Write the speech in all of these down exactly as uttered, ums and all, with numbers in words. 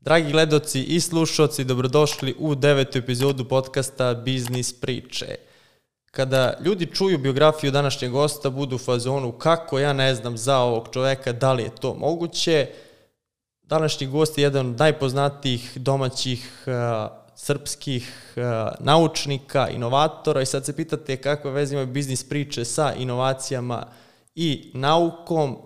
Dragi gledoci i slušalci, dobrodošli u devetu epizodu podcasta Biznis priče. Kada ljudi čuju biografiju današnjeg gosta, budu u fazonu kako ja ne znam za ovog čoveka, da li je to moguće. Današnji gost je jedan od najpoznatijih domaćih uh, srpskih uh, naučnika, inovatora i sad se pitate kakve veze imaju biznis priče sa inovacijama i naukom.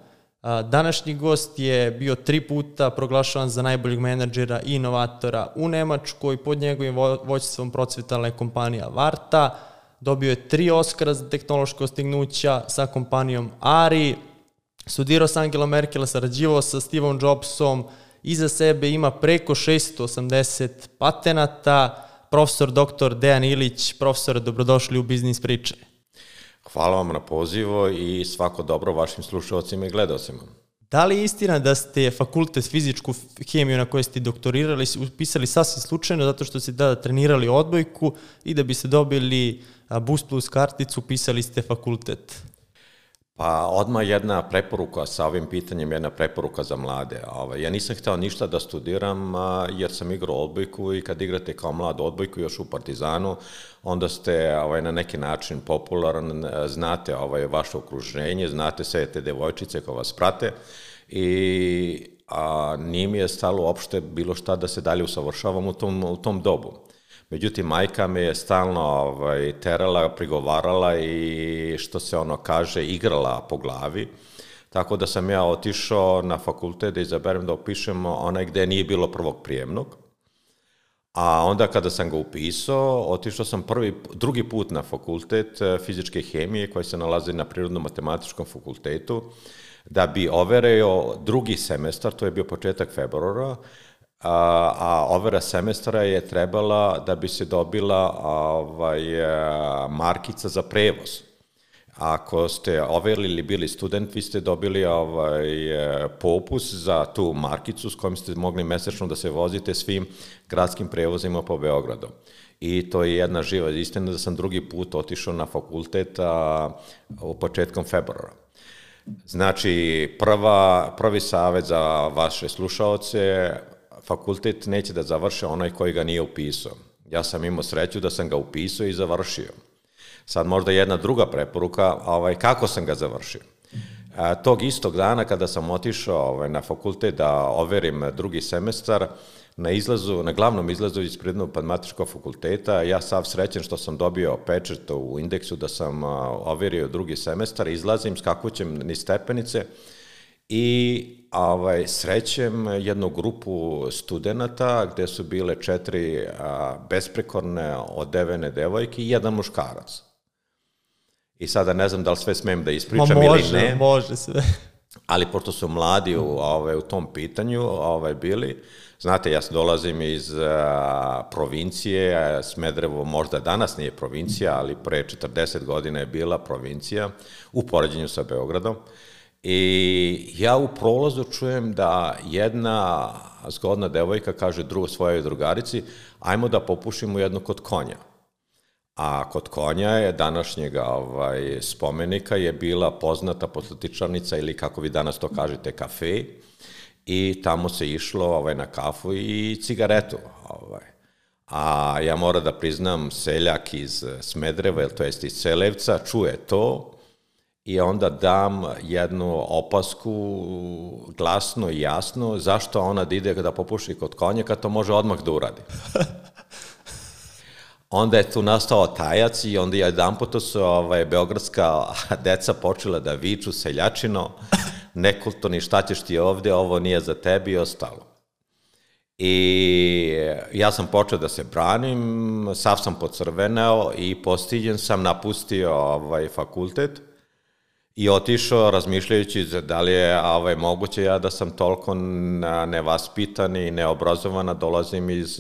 Današnji gost je bio tri puta proglašavan za najboljeg menadžera i inovatora u Nemačkoj, pod njegovim vođstvom procvetala je kompanija Varta, dobio je tri Oskara za tehnološka dostignuća sa kompanijom Ari, studirao sa Angelom Merkel, sarađivao sa Stevom Jobsom, iza sebe ima preko šesto osamdeset patenata. Profesor doktor Dejan Ilić, profesor, dobrodošli u Biznis priče. Hvala vam na pozivu i svako dobro vašim slušalcima i gledaocima. Da li je istina da ste fakultet fizičku hemiju na kojoj ste doktorirali upisali sasvim slučajno zato što ste tada trenirali odbojku i da biste dobili Boost Plus karticu upisali ste fakultet? Pa odmah jedna preporuka sa ovim pitanjem, jedna preporuka za mlade. Ja nisam hteo ništa da studiram jer sam igrao odbojku i kad igrate kao mlad odbojku još u Partizanu, onda ste ovaj, na neki način popularan, znate ovaj, vaše okruženje, znate sve te devojčice koje vas prate i a, nije mi je stalo uopšte bilo šta da se dalje usavršavam u tom, u tom dobu. Međutim, majka me je stalno ovaj, terala, prigovarala i što se ono kaže, igrala po glavi. Tako da sam ja otišao na fakultet da izaberem da upišemo onaj gde nije bilo prvog prijemnog. A onda kada sam ga upisao, otišao sam prvi, drugi put na fakultet fizičke hemije koji se nalazi na Prirodno-matematičkom fakultetu da bi overio drugi semestar, to je bio početak februara, a, a overa semestra je trebala da bi se dobila ovaj, markica za prevoz. Ako ste overili ili bili student, vi ste dobili ovaj, popus za tu markicu s kojom ste mogli mesečno da se vozite svim gradskim prevozima po Beogradu. I to je jedna živa istina da sam drugi put otišao na fakultet a, u početkom februara. Znači, prva, prvi savjet za vaše slušaoce, fakultet neće da završe onaj koji ga nije upisao. Ja sam imao sreću da sam ga upisao i završio. Sad možda jedna druga preporuka, ovaj, kako sam ga završio. A, tog istog dana kada sam otišao ovaj, na fakultet da overim drugi semestar, na izlazu, na glavnom izlazu iz Prirodno-matematičkog fakulteta, ja sav srećen što sam dobio pečat u indeksu da sam a, overio drugi semestar, izlazim, skakućem niz stepenice i ovaj, srećem jednu grupu studenata gde su bile četiri a, besprekorne odevene devojke i jedan muškarac. I sada ne znam da li sve smijem da ispričam Ma može, ili ne. Može sve. Ali pošto su mladi u, ovaj, u tom pitanju ovaj, bili, znate, ja dolazim iz a, provincije, a Smederevo možda danas nije provincija, ali pre četrdeset godina je bila provincija u poređenju sa Beogradom. I ja u prolazu čujem da jedna zgodna devojka kaže drugo svojoj drugarici, ajmo da popušimo jednu kod konja. A kod konja je današnjega ovaj, spomenika je bila poznata poslatičarnica ili kako vi danas to kažete kafe i tamo se išlo ovaj, na kafu i cigaretu. Ovaj. A ja moram da priznam seljak iz Smedereva, to jest iz Selevca, čuje to i onda dam jednu opasku glasno i jasno zašto ona da ide da popuši kod konja kad to može odmah da uradi. Onda je tu nastao tajac i onda je jedan puta su ovaj, beogradska deca počela da viču seljačino, nekulturni šta ćeš ti ovde, ovo nije za tebi i ostalo. I ja sam počeo da se branim, sav sam pocrveneo i postiljen sam napustio ovaj, fakultet i otišao razmišljajući da li je ovaj, moguće ja da sam toliko nevaspitan i neobrazovan, dolazim iz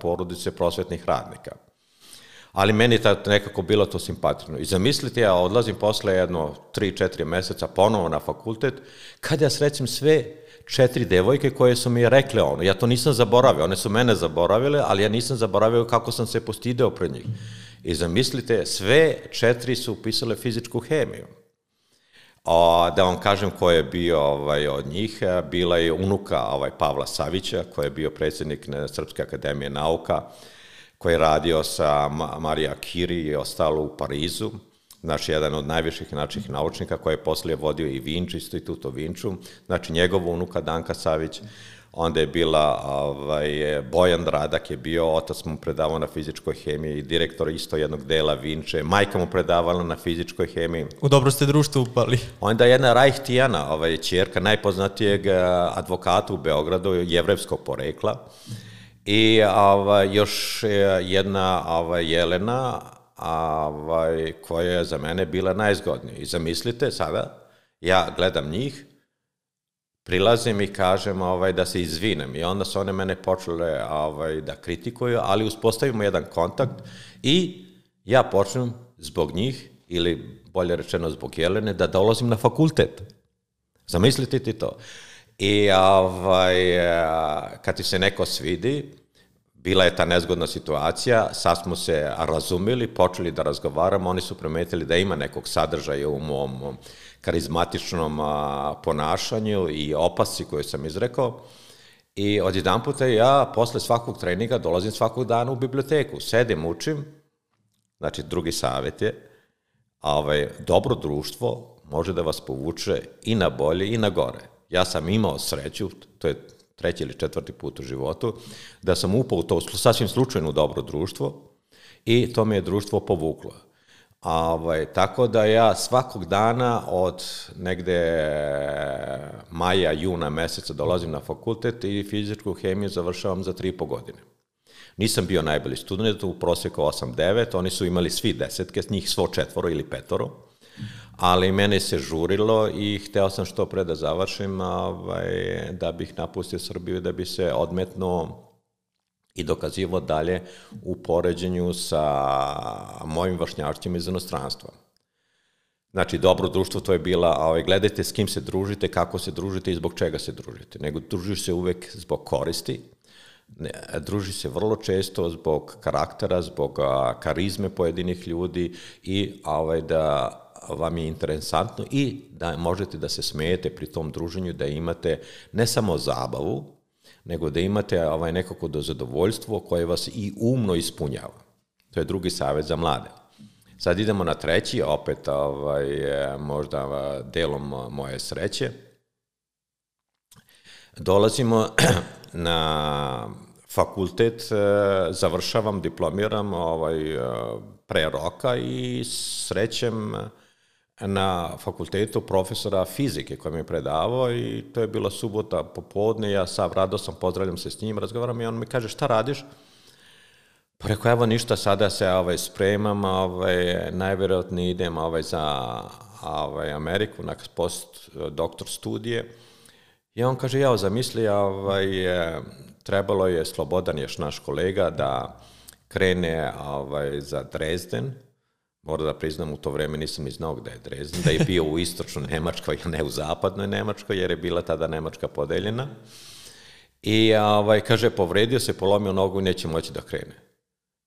porodice prosvetnih radnika. Ali meni je nekako bilo to simpatično. I zamislite, ja odlazim posle jedno tri četiri meseca ponovo na fakultet, kada ja srećem sve četiri devojke koje su mi rekle ono. Ja to nisam zaboravio, one su mene zaboravile, ali ja nisam zaboravio kako sam se postideo pred njih. I zamislite, sve četiri su upisale fizičku hemiju. O, da vam kažem ko je bio ovaj, od njih, bila je unuka ovaj, Pavla Savića, koji je bio predsjednik Srpske akademije nauka, koji je radio sa Marija Curie i ostalo u Parizu, znači jedan od najviših naših naučnika koji je poslije vodio i Vinču, institut u Vinču, znači njegova unuka Danka Savić, onda je bila ovaj, Bojan Radak je bio, otac mu predavao na fizičkoj hemiji i direktor isto jednog dela Vinče, majka mu predavala na fizičkoj hemiji. U dobro ste društvo upali. Onda jedna Rajh Tijana, ovaj, ćerka najpoznatijeg advokata u Beogradu, jevrejskog porekla, i ovaj, još jedna ovaj, Jelena, ovaj, koja je za mene bila najzgodnija. I zamislite sada, ja gledam njih, prilazim i kažem ovaj, da se izvinem i onda su one mene počele ovaj, da kritikuju, ali uspostavimo jedan kontakt i ja počnem zbog njih, ili bolje rečeno zbog Jelene, da dolazim na fakultet. Zamislite ti to. I ovaj, kad ti se neko svidi, bila je ta nezgodna situacija, sad smo se razumeli, počeli da razgovaramo, oni su primetili da ima nekog sadržaja u mom karizmatičnom ponašanju i opasci koju sam izrekao. I odjedan puta ja posle svakog treninga dolazim svakog dana u biblioteku, sedim, učim, znači drugi savjet je, ovaj, dobro društvo može da vas povuče i na bolje i na gore. Ja sam imao sreću, to je treći ili četvrti put u životu, da sam upao u to sasvim slučajno dobro društvo i to me je društvo povuklo. Ovaj, tako da ja svakog dana od negde maja, juna meseca dolazim na fakultet i fizičku hemiju završavam za tri i po godine. Nisam bio najbolji student, u prosjeku osam devet, oni su imali svi desetke, njih svo četvoro ili petoro, ali mene se žurilo i hteo sam što pre da završim, ovaj, da bih napustio Srbiju, da bi se odmetnuo i dokazivo dalje u poređenju sa mojim vršnjašćima iz inostranstva. Znači, dobro društvo to je bila, ovaj, gledajte s kim se družite, kako se družite i zbog čega se družite. Nego družiš se uvek zbog koristi, ne, druži se vrlo često zbog karaktera, zbog a, karizme pojedinih ljudi i ovaj, da vam je interesantno i da možete da se smijete pri tom druženju, da imate ne samo zabavu, nego da imate ovaj, nekako do zadovoljstvo koje vas i umno ispunjava. To je drugi savjet za mlade. Sad idemo na treći, opet ovaj, možda delom moje sreće. Dolazimo na fakultet, završavam, diplomiram ovaj, pre roka i srećem na fakultetu profesora fizike koji mi je predavao i to je bila subota popodne, ja sav rado sam, pozdravljam se s njim, razgovaram i on mi kaže šta radiš? Pa rekao, evo ništa, sada se ovaj, spremam, ovaj, najvjerojatnije idem ovaj, za ovaj, Ameriku na post doktor studije i on kaže, ja zamisli, ovaj, trebalo je Slobodan, još naš kolega, da krene ovaj, za Dresden. Moram da priznam, u to vreme nisam ni znao gde je Dresden, da je bio u istočnoj Nemačkoj, a ne u zapadnoj Nemačkoj, jer je bila tada Nemačka podeljena. I ovaj, kaže, povredio se, polomio nogu i neće moći da krene.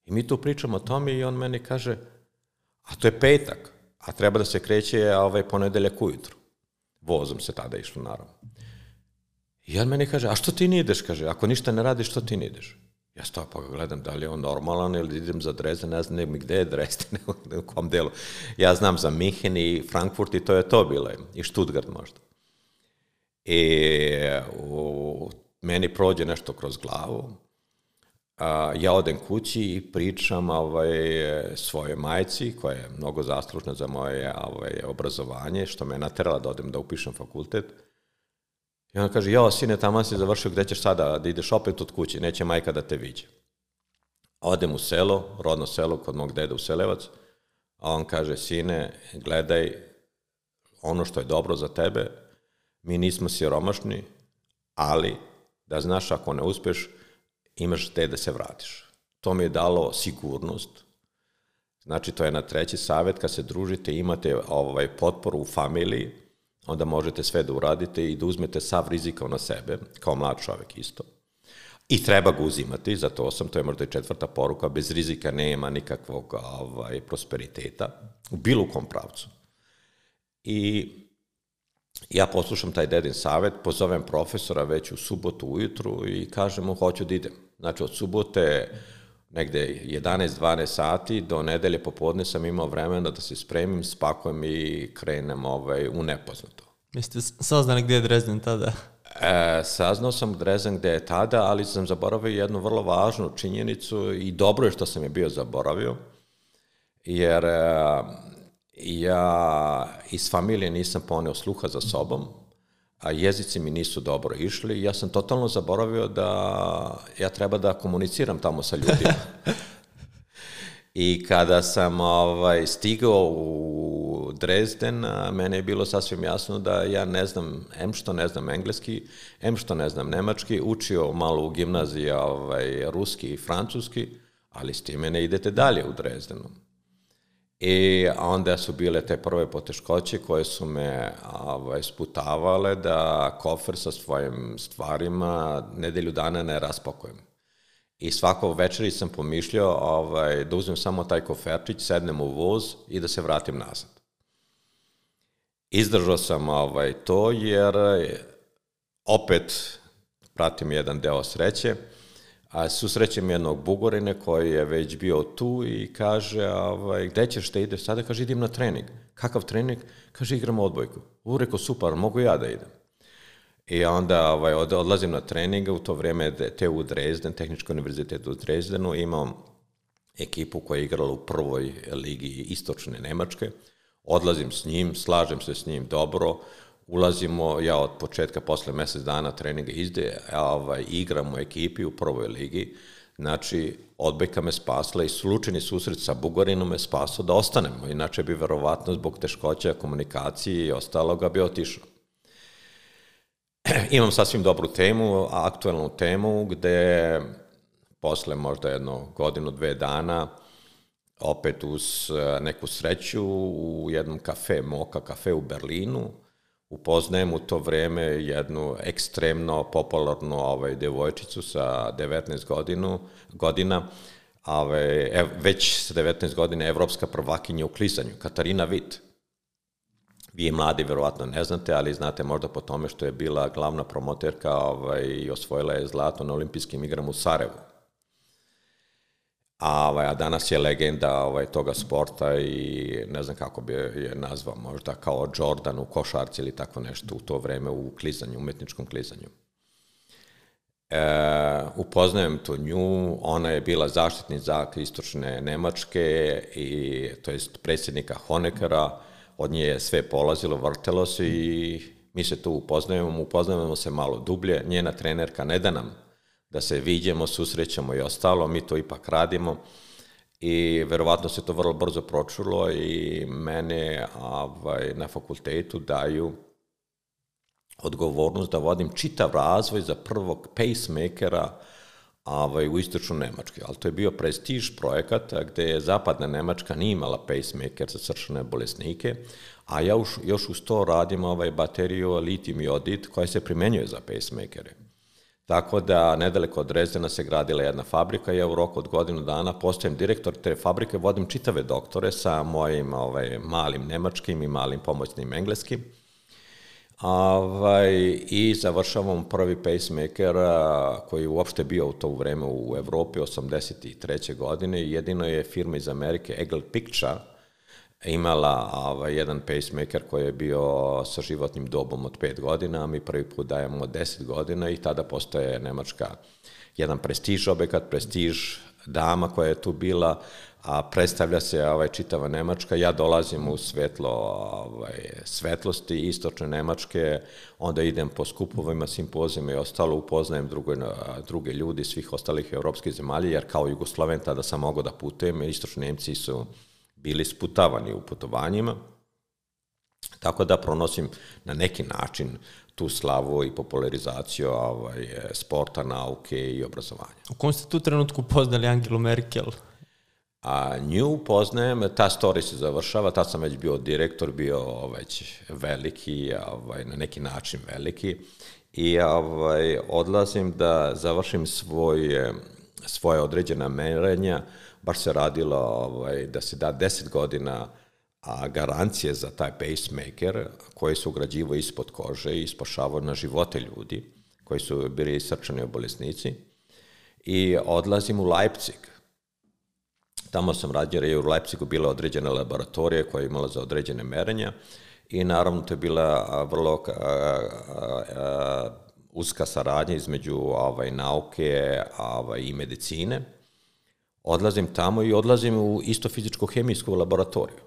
I mi tu pričamo o tome i on meni kaže, a to je petak, a treba da se kreće ovaj, ponedeljak ujutru. Vozom se tada išlo, naravno. I on meni kaže, a što ti ne ideš, kaže, ako ništa ne radiš, što ti ne ideš? Ja stoja pa ga gledam da li je on normalan ili idem za Dresden, ne znam mi gde je Dresden, u kom delu. Ja znam za Minhen i Frankfurt i to je to bilo, i Stuttgart možda. I u meni prođe nešto kroz glavu, a, ja odem kući i pričam ovaj, svoje majci, koja je mnogo zaslužna za moje ovaj, obrazovanje, što me je naterala da odem da upišem fakultet. I on kaže, jao, sine, tamo si završio, gde ćeš sada, da ideš opet od kuće, neće majka da te viđe. Odem u selo, rodno selo, kod mog deda u Selevac, a on kaže, sine, gledaj, ono što je dobro za tebe, mi nismo siromašni, ali da znaš, ako ne uspeš, imaš te da se vratiš. To mi je dalo sigurnost. Znači, to je na treći savjet, kad se družite, imate ovaj, potporu u familiji, onda možete sve da uradite i da uzmete sav rizika na sebe, kao mlad čovjek isto. I treba ga uzimati, zato sam, to je možda i četvrta poruka, bez rizika nema nikakvog ovaj, prosperiteta, u bilo kom pravcu. I ja poslušam taj dedin savjet, pozovem profesora već u subotu ujutru i kažem mu hoću da idem. Znači od subote negde jedanaest dvanaest sati do nedelje popodne sam imao vremena da se spremim, spakujem i krenem ovaj, u nepoznato. Jeste saznali gdje je Dresden tada? E, saznao sam Dresden gde je tada, ali sam zaboravio jednu vrlo važnu činjenicu i dobro je što sam je bio zaboravio, jer e, ja iz familije nisam poneo sluha za sobom, a jezici mi nisu dobro išli. Ja sam totalno zaboravio da ja treba da komuniciram tamo sa ljudima. I kada sam ovaj, stigao u Dresden, mene je bilo sasvim jasno da ja ne znam, em što ne znam engleski, em što ne znam nemački, učio malo u gimnaziji ovaj, ruski i francuski, ali s time ne idete dalje u Dresdenu. I onda su bile te prve poteškoće koje su me ovaj, sputavale da kofer sa svojim stvarima nedelju dana ne raspakujem. I svako večeri sam pomišljao ovaj, da uzmem samo taj koferčić, sednem u voz i da se vratim nazad. Izdržao sam ovaj, to jer opet pratim jedan deo sreće, a susrećem jednog Bugorine koji je već bio tu i kaže, ovaj, gde ćeš da ideš sada? Kaže, idem na trening. Kakav trening? Kaže, igram odbojku. U, reko, super, mogu ja da idem. I onda ovaj, odlazim na trening, u to vrijeme te u Dresden, Tehnički univerzitet u Dresdenu, imam ekipu koja je igrala u prvoj ligi istočne Nemačke, odlazim s njim, slažem se s njim dobro, ulazimo, ja od početka, posle mjesec dana treninga izde, ovaj, igram u ekipi u prvoj ligi, znači odbojka me spasla i slučajni susret sa Bugarinom me spasao da ostanemo, inače bi verovatno zbog teškoća komunikacije i ostaloga bi otišao. Imam sasvim dobru temu, aktualnu temu, gde posle možda jedno godinu, dve dana, opet uz neku sreću u jednom kafe, Moka kafe u Berlinu, upoznajem u to vreme jednu ekstremno popularnu ovaj, devojčicu sa devetnaest godinu, godina, ovaj, ev, već sa devetnaest godina evropska prvakinja u klizanju, Katarina Witt. Vi je mladi, verovatno ne znate, ali znate možda po tome što je bila glavna promoterka ovaj, i osvojila je zlato na olimpijskim igrama u Sarajevu. A, ovaj, a danas je legenda ovaj, toga sporta i ne znam kako bi je nazvao, možda kao Jordan u košarci ili tako nešto u to vreme u klizanju, umetničkom klizanju. E, upoznajem tu nju, ona je bila zaštitnica istočne Nemačke, i, to jest predsjednika Honeckera, od nje je sve polazilo, vrtelo se i mi se tu upoznajemo, upoznajemo se malo dublje, njena trenerka ne da nam da se viđemo, susrećemo i ostalo, mi to ipak radimo i verovatno se to vrlo brzo pročulo i mene ovaj, na fakultetu daju odgovornost da vodim čitav razvoj za prvog pacemakera ovaj, u istočnu Nemačkoj, ali to je bio prestiž projekat gde je zapadna Nemačka nije imala pacemaker za srčane bolesnike, a ja už, još uz to radim ovaj, bateriju litijum iodid koja se primenjuje za pacemakere. Tako da nedaleko od Dresdena se gradila jedna fabrika i ja u roku od godinu dana postajem direktor te fabrike, vodim čitave doktore sa mojim ovaj, malim nemačkim i malim pomoćnim engleskim. Ovaj, i završavam prvi pacemaker koji je uopšte bio u to vreme u Evropi osamdeset treće godine. Jedino je firma iz Amerike Eagle Picture imala ovaj, jedan pacemaker koji je bio sa životnim dobom od pet godina, a mi prvi put dajemo deset godina i tada postaje Nemačka jedan prestiž objekat, prestiž dama koja je tu bila, a predstavlja se ovaj, čitava Nemačka. Ja dolazim u svetlo ovaj, svetlosti istočne Nemačke, onda idem po skupovima, simpozijama i ostalo, upoznajem druge, druge ljudi svih ostalih evropskih zemalja, jer kao Jugosloven tada sam mogao da putujem, istočni Nemci su bili sputavani u putovanjima, tako da pronosim na neki način tu slavu i popularizaciju ovaj, sporta, nauke i obrazovanja. U kom ste tu trenutku poznali Angelu Merkel? A nju poznajem, ta story se završava, tad sam već bio direktor, bio već veliki, ovaj, na neki način veliki, i ovaj, odlazim da završim svoje, svoje određena merenja. Baš se radilo ovaj, da se da deset godina a garancije za taj pacemaker koji se ugrađivao ispod kože i spašavao na živote ljudi koji su bili srčani bolesnici. I odlazim u Leipzig. Tamo sam radio, jer je u Leipzigu bila određena laboratorija koja je imala za određene merenja i naravno to je bila vrlo a, a, a, uska saradnja između ovaj, nauke ovaj, i medicine. Odlazim tamo i odlazim u isto fizičko-hemijsku laboratoriju.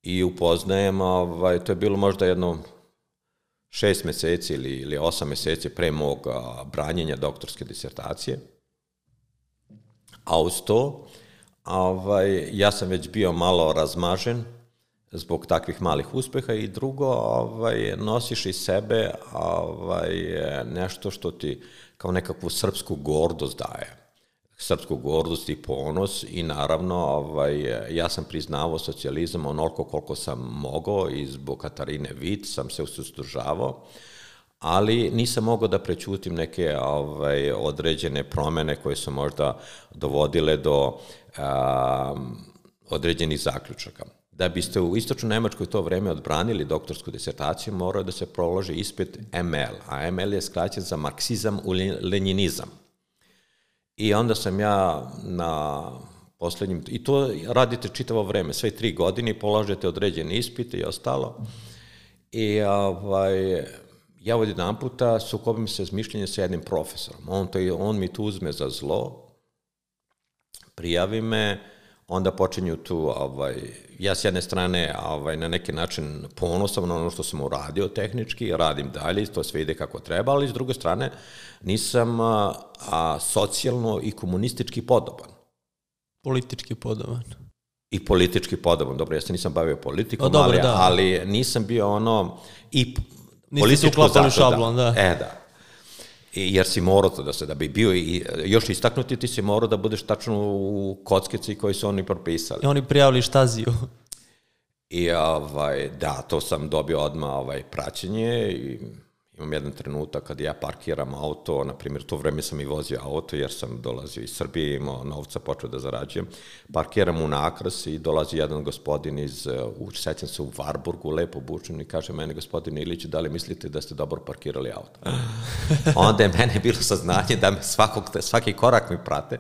I upoznajem, ovaj, to je bilo možda jedno šest meseci ili, ili osam meseci pre mog a, branjenja doktorske disertacije. A uz to, ovaj, ja sam već bio malo razmažen zbog takvih malih uspeha i drugo, ovaj, nosiš iz sebe ovaj, nešto što ti kao nekakvu srpsku gordost daje. Srpsku gordost i ponos i naravno ovaj, ja sam priznavao socijalizam onoliko koliko sam mogao i zbog Katarine Vit sam se suzdržavao, ali nisam mogao da prećutim neke ovaj, određene promene koje su možda dovodile do um, određenih zaključaka. Da biste u istočnoj Nemačkoj to vreme odbranili doktorsku disertaciju, morao da se proloži ispit M L, a M L je skraćen za marksizam u lenjinizam. I onda sam ja na poslednjim, i to radite čitavo vreme, sve tri godine, polažete određene ispite i ostalo. I ovaj, ja od jedan puta sukobim se s mišljenjem sa jednim profesorom. On, to, on mi tu uzme za zlo, prijavi me, onda počinju tu, ovaj, ja s jedne strane ovaj, na neki način ponosan na ono što sam uradio tehnički, radim dalje, to sve ide kako treba, ali s druge strane nisam a, a, socijalno i komunistički podoban. Politički podoban. I politički podoban, dobro, ja se nisam bavio politikom, o, dobro, ali, da. ali nisam bio ono i nisi uklapali šablon, da. E, da. I, jer si morao to da se, da bi bio i još istaknuti, ti si morao da budeš tačno u kockici koji su oni propisali. I oni prijavili štaziju. I ovaj, da, to sam dobio odmah ovaj, praćenje i imam jedan trenutak kad ja parkiram auto, na primjer, to vreme sam i vozio auto jer sam dolazio iz Srbije, imao novca, počeo da zarađujem. Parkiram u nakras i dolazi jedan gospodin iz, uh, sećam se u Varburgu, lepo obučen i kaže meni, gospodine Ilić, da li mislite da ste dobro parkirali auto? Onda je mene bilo saznanje da me svakog, svaki korak mi prate.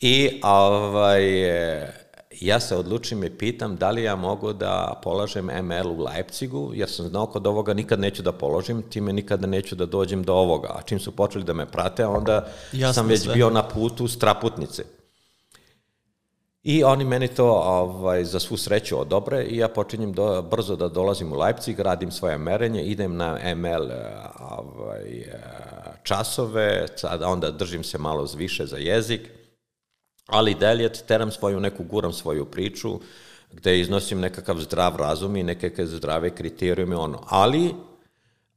I ovaj, ja se odlučim i pitam da li ja mogu da polažem M L u Leipzigu, jer sam znao kod ovoga nikad neću da položim, time nikada neću da dođem do ovoga. A čim su počeli da me prate, onda jasno sam već sve. Bio na putu straputnice. I oni meni to ovaj, za svu sreću odobre i ja počinjem do, brzo da dolazim u Leipzig, radim svoje merenje, idem na M L ovaj, časove, onda držim se malo više za jezik, ali dalje teram svoju neku, guram svoju priču, gde iznosim nekakav zdrav razum i nekakve zdrave kriterijume, ono. Ali,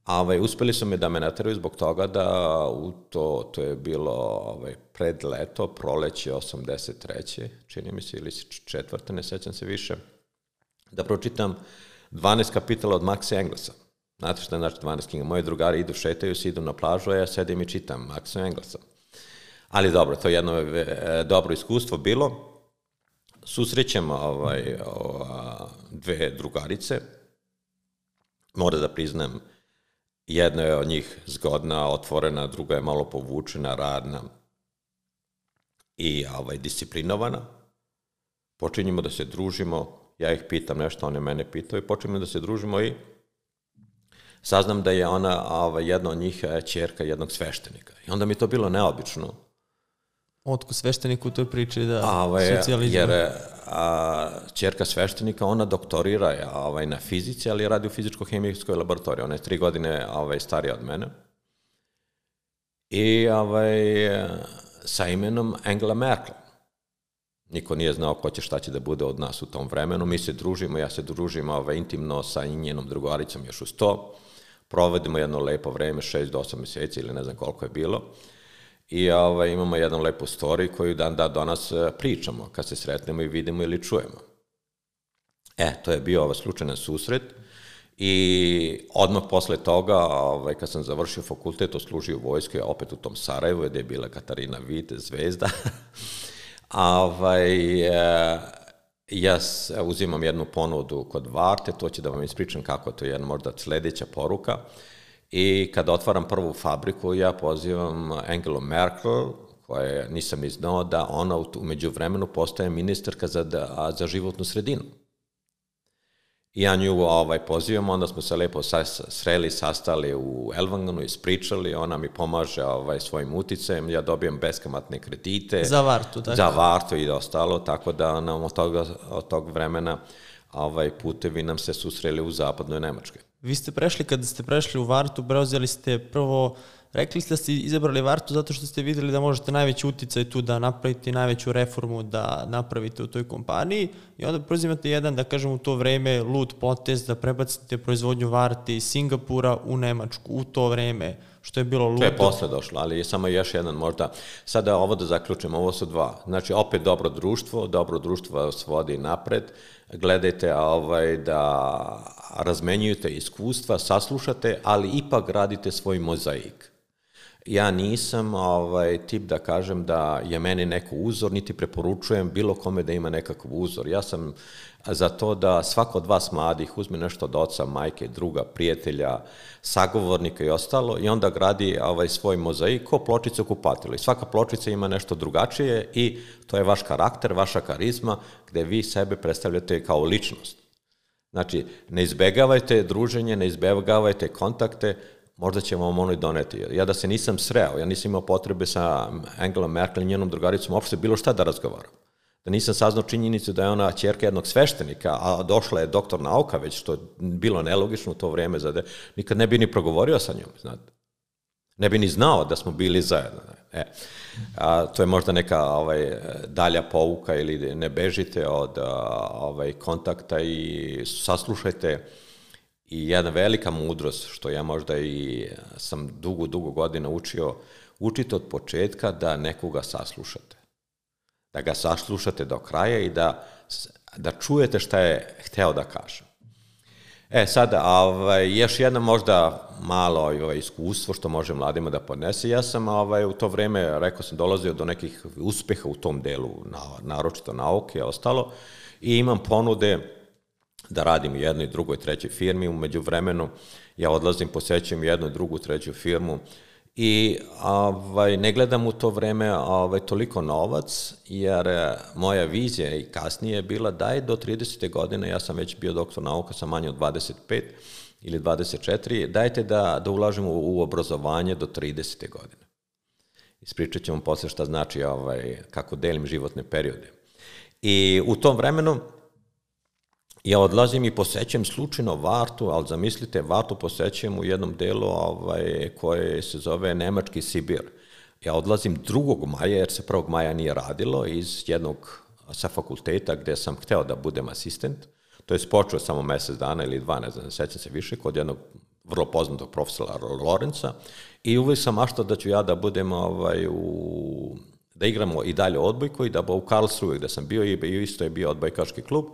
ovaj, uspeli su me da me nateraju zbog toga da u to, to je bilo ovaj, pred leto, proleće osamdeset treće čini mi se, ili četvrte, ne sećam se više, da pročitam dvanaest kapitala od Maxa Englesa. Znate šta znači dvanaest knjiga? Moji drugari idu, šetaju se, idu na plažu, a ja sedim i čitam Maxa Englesa. Ali dobro, to je jedno e, dobro iskustvo bilo. Susrećem ovaj, o, dve drugarice. Moram da priznam, jedna je od njih zgodna, otvorena, druga je malo povučena, radna i ovaj, disciplinovana. Počinjemo da se družimo, ja ih pitam nešto, one mene pitaju, i počinjemo da se družimo i saznam da je ona ovaj, jedna od njih ćerka jednog sveštenika. I onda mi to bilo neobično. Otko sveštenik u toj priči da ovaj, socijalizam? Jer a, ćerka sveštenika, ona doktorira ovaj, na fizici, ali radi u fizičko-hemijskoj laboratoriji. Ona je tri godine ovaj, starija od mene. I ovaj, sa imenom Angela Merkel. Niko nije znao ko će, šta će da bude od nas u tom vremenu. Mi se družimo, ja se družim ovaj, intimno sa njenom drugaricom još uz to. Provedemo jedno lepo vreme, šest do osam meseci ili ne znam koliko je bilo. I ovaj, imamo jednu lepu storiju koju dan da do nas pričamo kad se sretnemo i vidimo ili čujemo. E, to je bio ovaj slučajan susret i odmah posle toga, ovaj, kad sam završio fakultet, oslužio u vojskoj, opet u tom Sarajevu, gde je bila Katarina Vit, zvezda, ovaj, ja uzimam jednu ponudu kod Varte, to će da vam ispričam kako to je jedna možda sledeća poruka. I kada otvaram prvu fabriku, ja pozivam Angelu Merkel, koja nisam ni znao da ona umeđu vremenu postaje ministarka za, za životnu sredinu. I ja nju ovaj, pozivam, onda smo se lepo sreli, sastali u Elvanganu, ispričali, ona mi pomaže ovaj, svojim uticajem, ja dobijem beskamatne kredite. Za Vartu, tako? Za Vartu i ostalo, tako da nam od, toga, od tog vremena ovaj, putevi nam se susreli u zapadnoj Nemačkoj. Vi ste prešli, kada ste prešli u Vartu, preuzeli ste prvo, rekli ste da ste izabrali Vartu zato što ste videli da možete najveći uticaj tu da napravite najveću reformu da napravite u toj kompaniji i onda preuzimate jedan, da kažem u to vreme, lud potez da prebacite proizvodnju Varte iz Singapura u Nemačku u to vreme, što je bilo ludo. To je posle došlo, ali je samo još jedan možda. Sada ovo da zaključim, ovo su dva. Znači, opet dobro društvo, dobro društvo vas vodi napred, gledajte ovaj, da razmenjujete iskustva, saslušate, ali ipak radite svoj mozaik. Ja nisam ovaj, tip da kažem da je meni neko uzor, niti preporučujem bilo kome da ima nekakav uzor. Ja sam za to da svako od vas mladih uzme nešto od oca, majke, druga, prijatelja, sagovornika i ostalo i onda gradi ovaj, svoj mozaik ko pločica kupatila. I svaka pločica ima nešto drugačije i to je vaš karakter, vaša karizma gde vi sebe predstavljate kao ličnost. Znači, ne izbegavajte druženje, ne izbegavajte kontakte, možda će vam ono i doneti. Ja da se nisam sreo, ja nisam imao potrebe sa Angelom Merkel i njenom drugaricom uopšte bilo šta da razgovaram. Da nisam saznao činjenicu da je ona ćerka jednog sveštenika, a došla je doktor nauka već, što je bilo nelogično u to vreme, zade, nikad ne bi ni progovorio sa njom, znate. Ne bi ni znao da smo bili zajedno. E, a, to je možda neka ovaj, dalja pouka ili ne bežite od ovaj, kontakta i saslušajte. I jedna velika mudrost, što ja možda i sam dugo, dugo godina učio, učite od početka da nekoga saslušate. Da ga saslušate do kraja i da, da čujete šta je hteo da kaže. E, sada, ovaj, još jedna možda malo ovaj, iskustvo što može mladima da podnese. Ja sam ovaj, u to vreme, rekao sam, dolazio do nekih uspeha u tom delu, naročito nauke i ostalo, i imam ponude da radim u jednoj, drugoj, trećoj firmi. Umeđu vremenu ja odlazim, posećujem jednu, drugu, treću firmu i ovaj, ne gledam u to vreme ovaj, toliko novac, jer moja vizija i kasnije je bila da je do tridesete godine, ja sam već bio doktor nauka sa manje od dvadeset pet ili dvadeset četiri, dajte da, da ulažemo u, u obrazovanje do tridesete godine. Ispričat ću vam posle šta znači ovaj, kako delim životne periode. I u tom vremenu ja odlazim i posećujem slučajno Vartu, ali zamislite, Vartu posećujem u jednom delu ovaj, koje se zove Nemački Sibir. Ja odlazim drugog maja, jer se prvog maja nije radilo, iz jednog sa fakulteta gde sam hteo da budem asistent. To je počeo samo mesec dana ili dva, ne znam, ne sećam se više, kod jednog vrlo poznatog profesora Lorenca. I uvijek sam maštao da ću ja da budem ovaj, u... da igramo i dalje odbojku i da u Karlsruhe gde sam bio i isto je bio odbojkaški klub.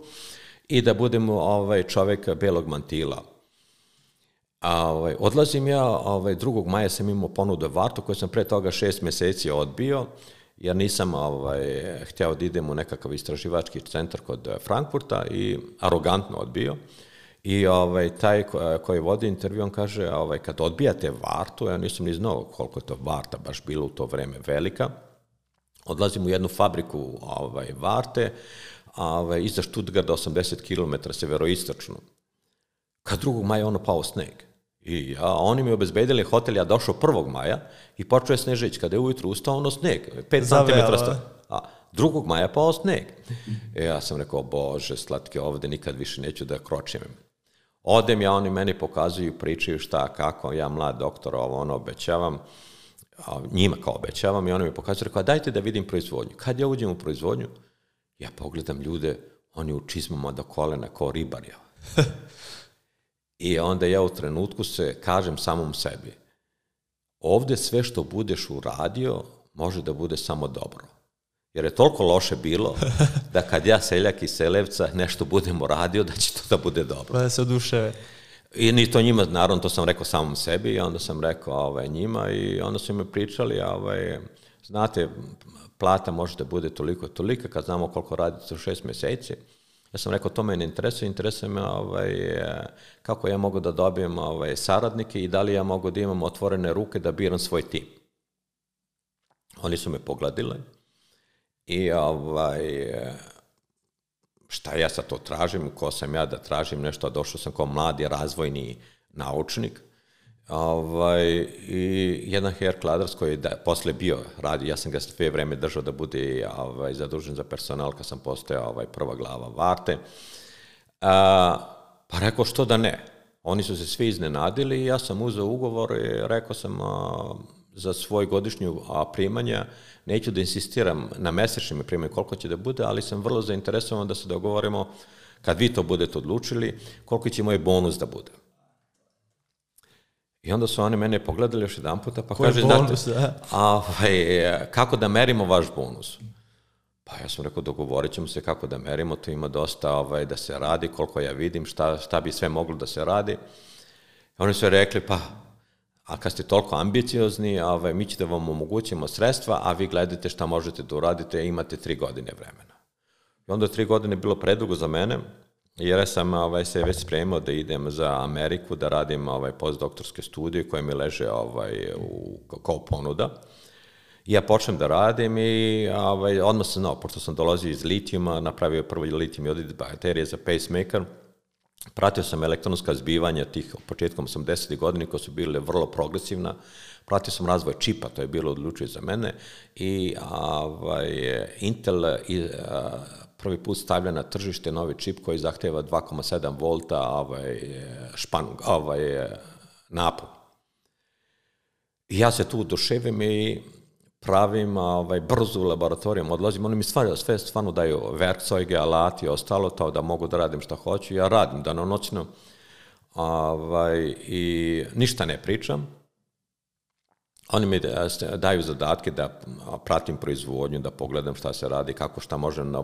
I da budem ovaj, čovek belog mantila. A, ovaj, odlazim ja, ovaj, drugog maja sam imao ponudu Vartu, koju sam pre toga šest meseci odbio, jer nisam ovaj, hteo da idem u nekakav istraživački centar kod Frankfurta i arogantno odbio. I ovaj, taj koji vodi intervju, on kaže, ovaj, kad odbijate Vartu, ja nisam ni znao koliko je to Varta baš bilo u to vreme velika, odlazim u jednu fabriku ovaj, Varte, Ove, iza Stuttgarta osamdeset kilometara severoistočno. Kad drugog maja ono pao sneg. I ja, oni mi obezbedili hotel, ja došao prvog maja i počeo je snežić. Kada je ujutru ustao, ono sneg, pet centimetara. A drugog maja pao sneg. E, ja sam rekao, bože, slatke, ovde nikad više neću da kročim. Odem ja, oni meni pokazuju, pričaju šta, kako, ja mlad doktor, ovo ono obećavam, njima kao obećavam i oni mi pokazuju, rekao, dajte da vidim proizvodnju. Kad ja uđem u proizvodnju, ja pogledam ljude, oni u čizmama do kolena, kao ribarja. I onda ja u trenutku se kažem samom sebi, ovde sve što budeš uradio, može da bude samo dobro. Jer je toliko loše bilo, da kad ja seljak iz Selevca nešto budem uradio, da će to da bude dobro. Da se oduševe. I ni to njima, naravno, to sam rekao samom sebi, i onda sam rekao ovaj, njima, i onda su mi pričali, ovaj, znate, plata može da bude toliko tolika, kad znamo koliko radite u šest meseci. Ja sam rekao, to me ne interesuje, interesuje me ovaj, kako ja mogu da dobijem ovaj, saradnike i da li ja mogu da imam otvorene ruke da biram svoj tim. Oni su me pogledali i ovaj, šta ja sad to tražim, ko sam ja da tražim nešto, a došao sam kao mladi razvojni naučnik. Ovaj, i jedan Herr Kladers koji je da, posle bio radio, ja sam ga sve vreme držao da bude ovaj, zadužen za personal kad sam postao ovaj, prva glava Varte. A, pa rekao što da ne. Oni su se svi iznenadili i ja sam uzeo ugovor i rekao sam a, za svoj godišnju a, primanja, neću da insistiram na mesečnim primanju koliko će da bude, ali sam vrlo zainteresovan da se dogovorimo kad vi to budete odlučili, koliko će moj bonus da bude. I onda su oni mene pogledali još jedan puta, pa kaže, bonus, znate, ovaj, kako da merimo vaš bonus? Pa ja sam rekao, dogovorit ćemo se kako da merimo, to ima dosta ovaj, da se radi, koliko ja vidim, šta, šta bi sve moglo da se radi. I oni su rekli, pa, a kad ste toliko ambiciozni, ovaj, mi ćete vam omogućimo sredstva, a vi gledajte šta možete da uradite, imate tri godine vremena. I onda tri godine je bilo predugo za mene, jer sam ovaj, se već spremao da idem za Ameriku, da radim ovaj, postdoktorske studije koje mi leže ovaj, u, kao ponuda. I ja počnem da radim i ovaj, odmah sam znao, pošto sam dolazio iz litijuma, napravio prvo litijum iodid baterije za pacemaker, pratio sam elektronska zbivanja tih početkom osamdesetih godina koje su bile vrlo progresivna, pratio sam razvoj čipa, to je bilo odlučio za mene i ovaj, Intel i, a, prvi put stavlja na tržište novi čip koji zahteva dva zarez sedam volta ovaj, španu, ovaj, napon. I ja se tu oduševim i pravim ovaj, brzo u laboratorijama, odlazim, oni mi stvarno, sve stvarno daju verkzeuge, alati i ostalo, to da mogu da radim šta hoću, ja radim danonoćno ovaj, i ništa ne pričam. Oni mi daju zadatke da pratim proizvodnju, da pogledam šta se radi, kako šta možem da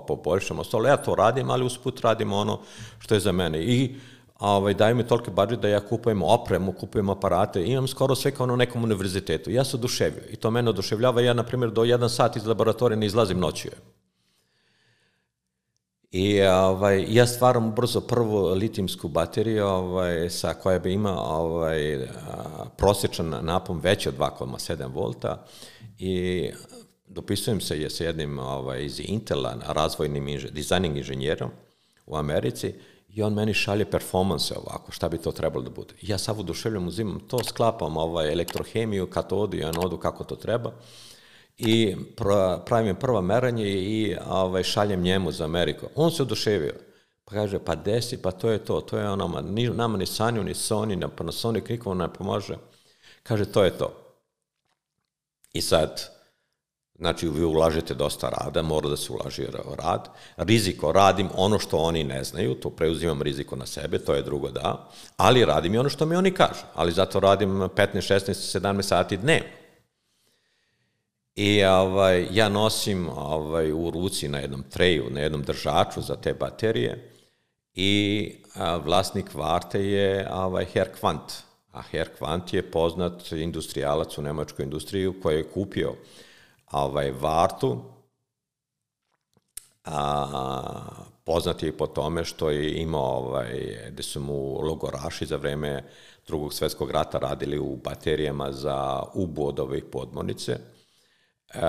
poboljšam, ostalo ja to radim, ali usput radim ono što je za mene. I ovaj, daju mi toliki budžet da ja kupujem opremu, kupujem aparate, imam skoro sve kao na nekom univerzitetu. Ja se oduševio i to mene oduševljava. Ja, na primjer, do jedan sat iz laboratorija ne izlazim noću. I ovaj, ja stvaram brzo prvu litijumsku bateriju ovaj, sa koja bi ima ovaj, prosječan napon veći od dva zarez sedam volta i dopisujem se je sa jednim ovaj, iz Intela, razvojnim inž, dizajning inženjerom u Americi i on meni šalje performanse ovako, šta bi to trebalo da bude. Ja sav oduševljam, uzimam to, sklapam ovaj, elektrohemiju, katodu i anodu kako to treba i pravim prva meranje i ovaj, šaljem njemu za Ameriku. On se oduševio. Pa kaže, pa desi, pa to je to, to je ono, ni, nama ni Sanju, ni Sony, ni Panasonic, nikom ne pomože. Kaže, to je to. I sad, znači, vi ulažete dosta rada, mora da se ulaži rad. Riziko, radim ono što oni ne znaju, to preuzimam riziko na sebe, to je drugo da, ali radim i ono što mi oni kažu, ali zato radim petnaest, šesnaest, sedamnaest sati dnevno. I ovaj, ja nosim ovaj, u ruci na jednom treju, na jednom držaču za te baterije i a, vlasnik Varte je ovaj, Herr Quandt. A Herr Quandt je poznat industrijalac u nemačkoj industriji koji je kupio ovaj, Vartu, a, poznat je i po tome što je imao, ovaj, gde su mu logoraši za vreme Drugog svjetskog rata radili u baterijama za ubu od ovih podmornice. Uh,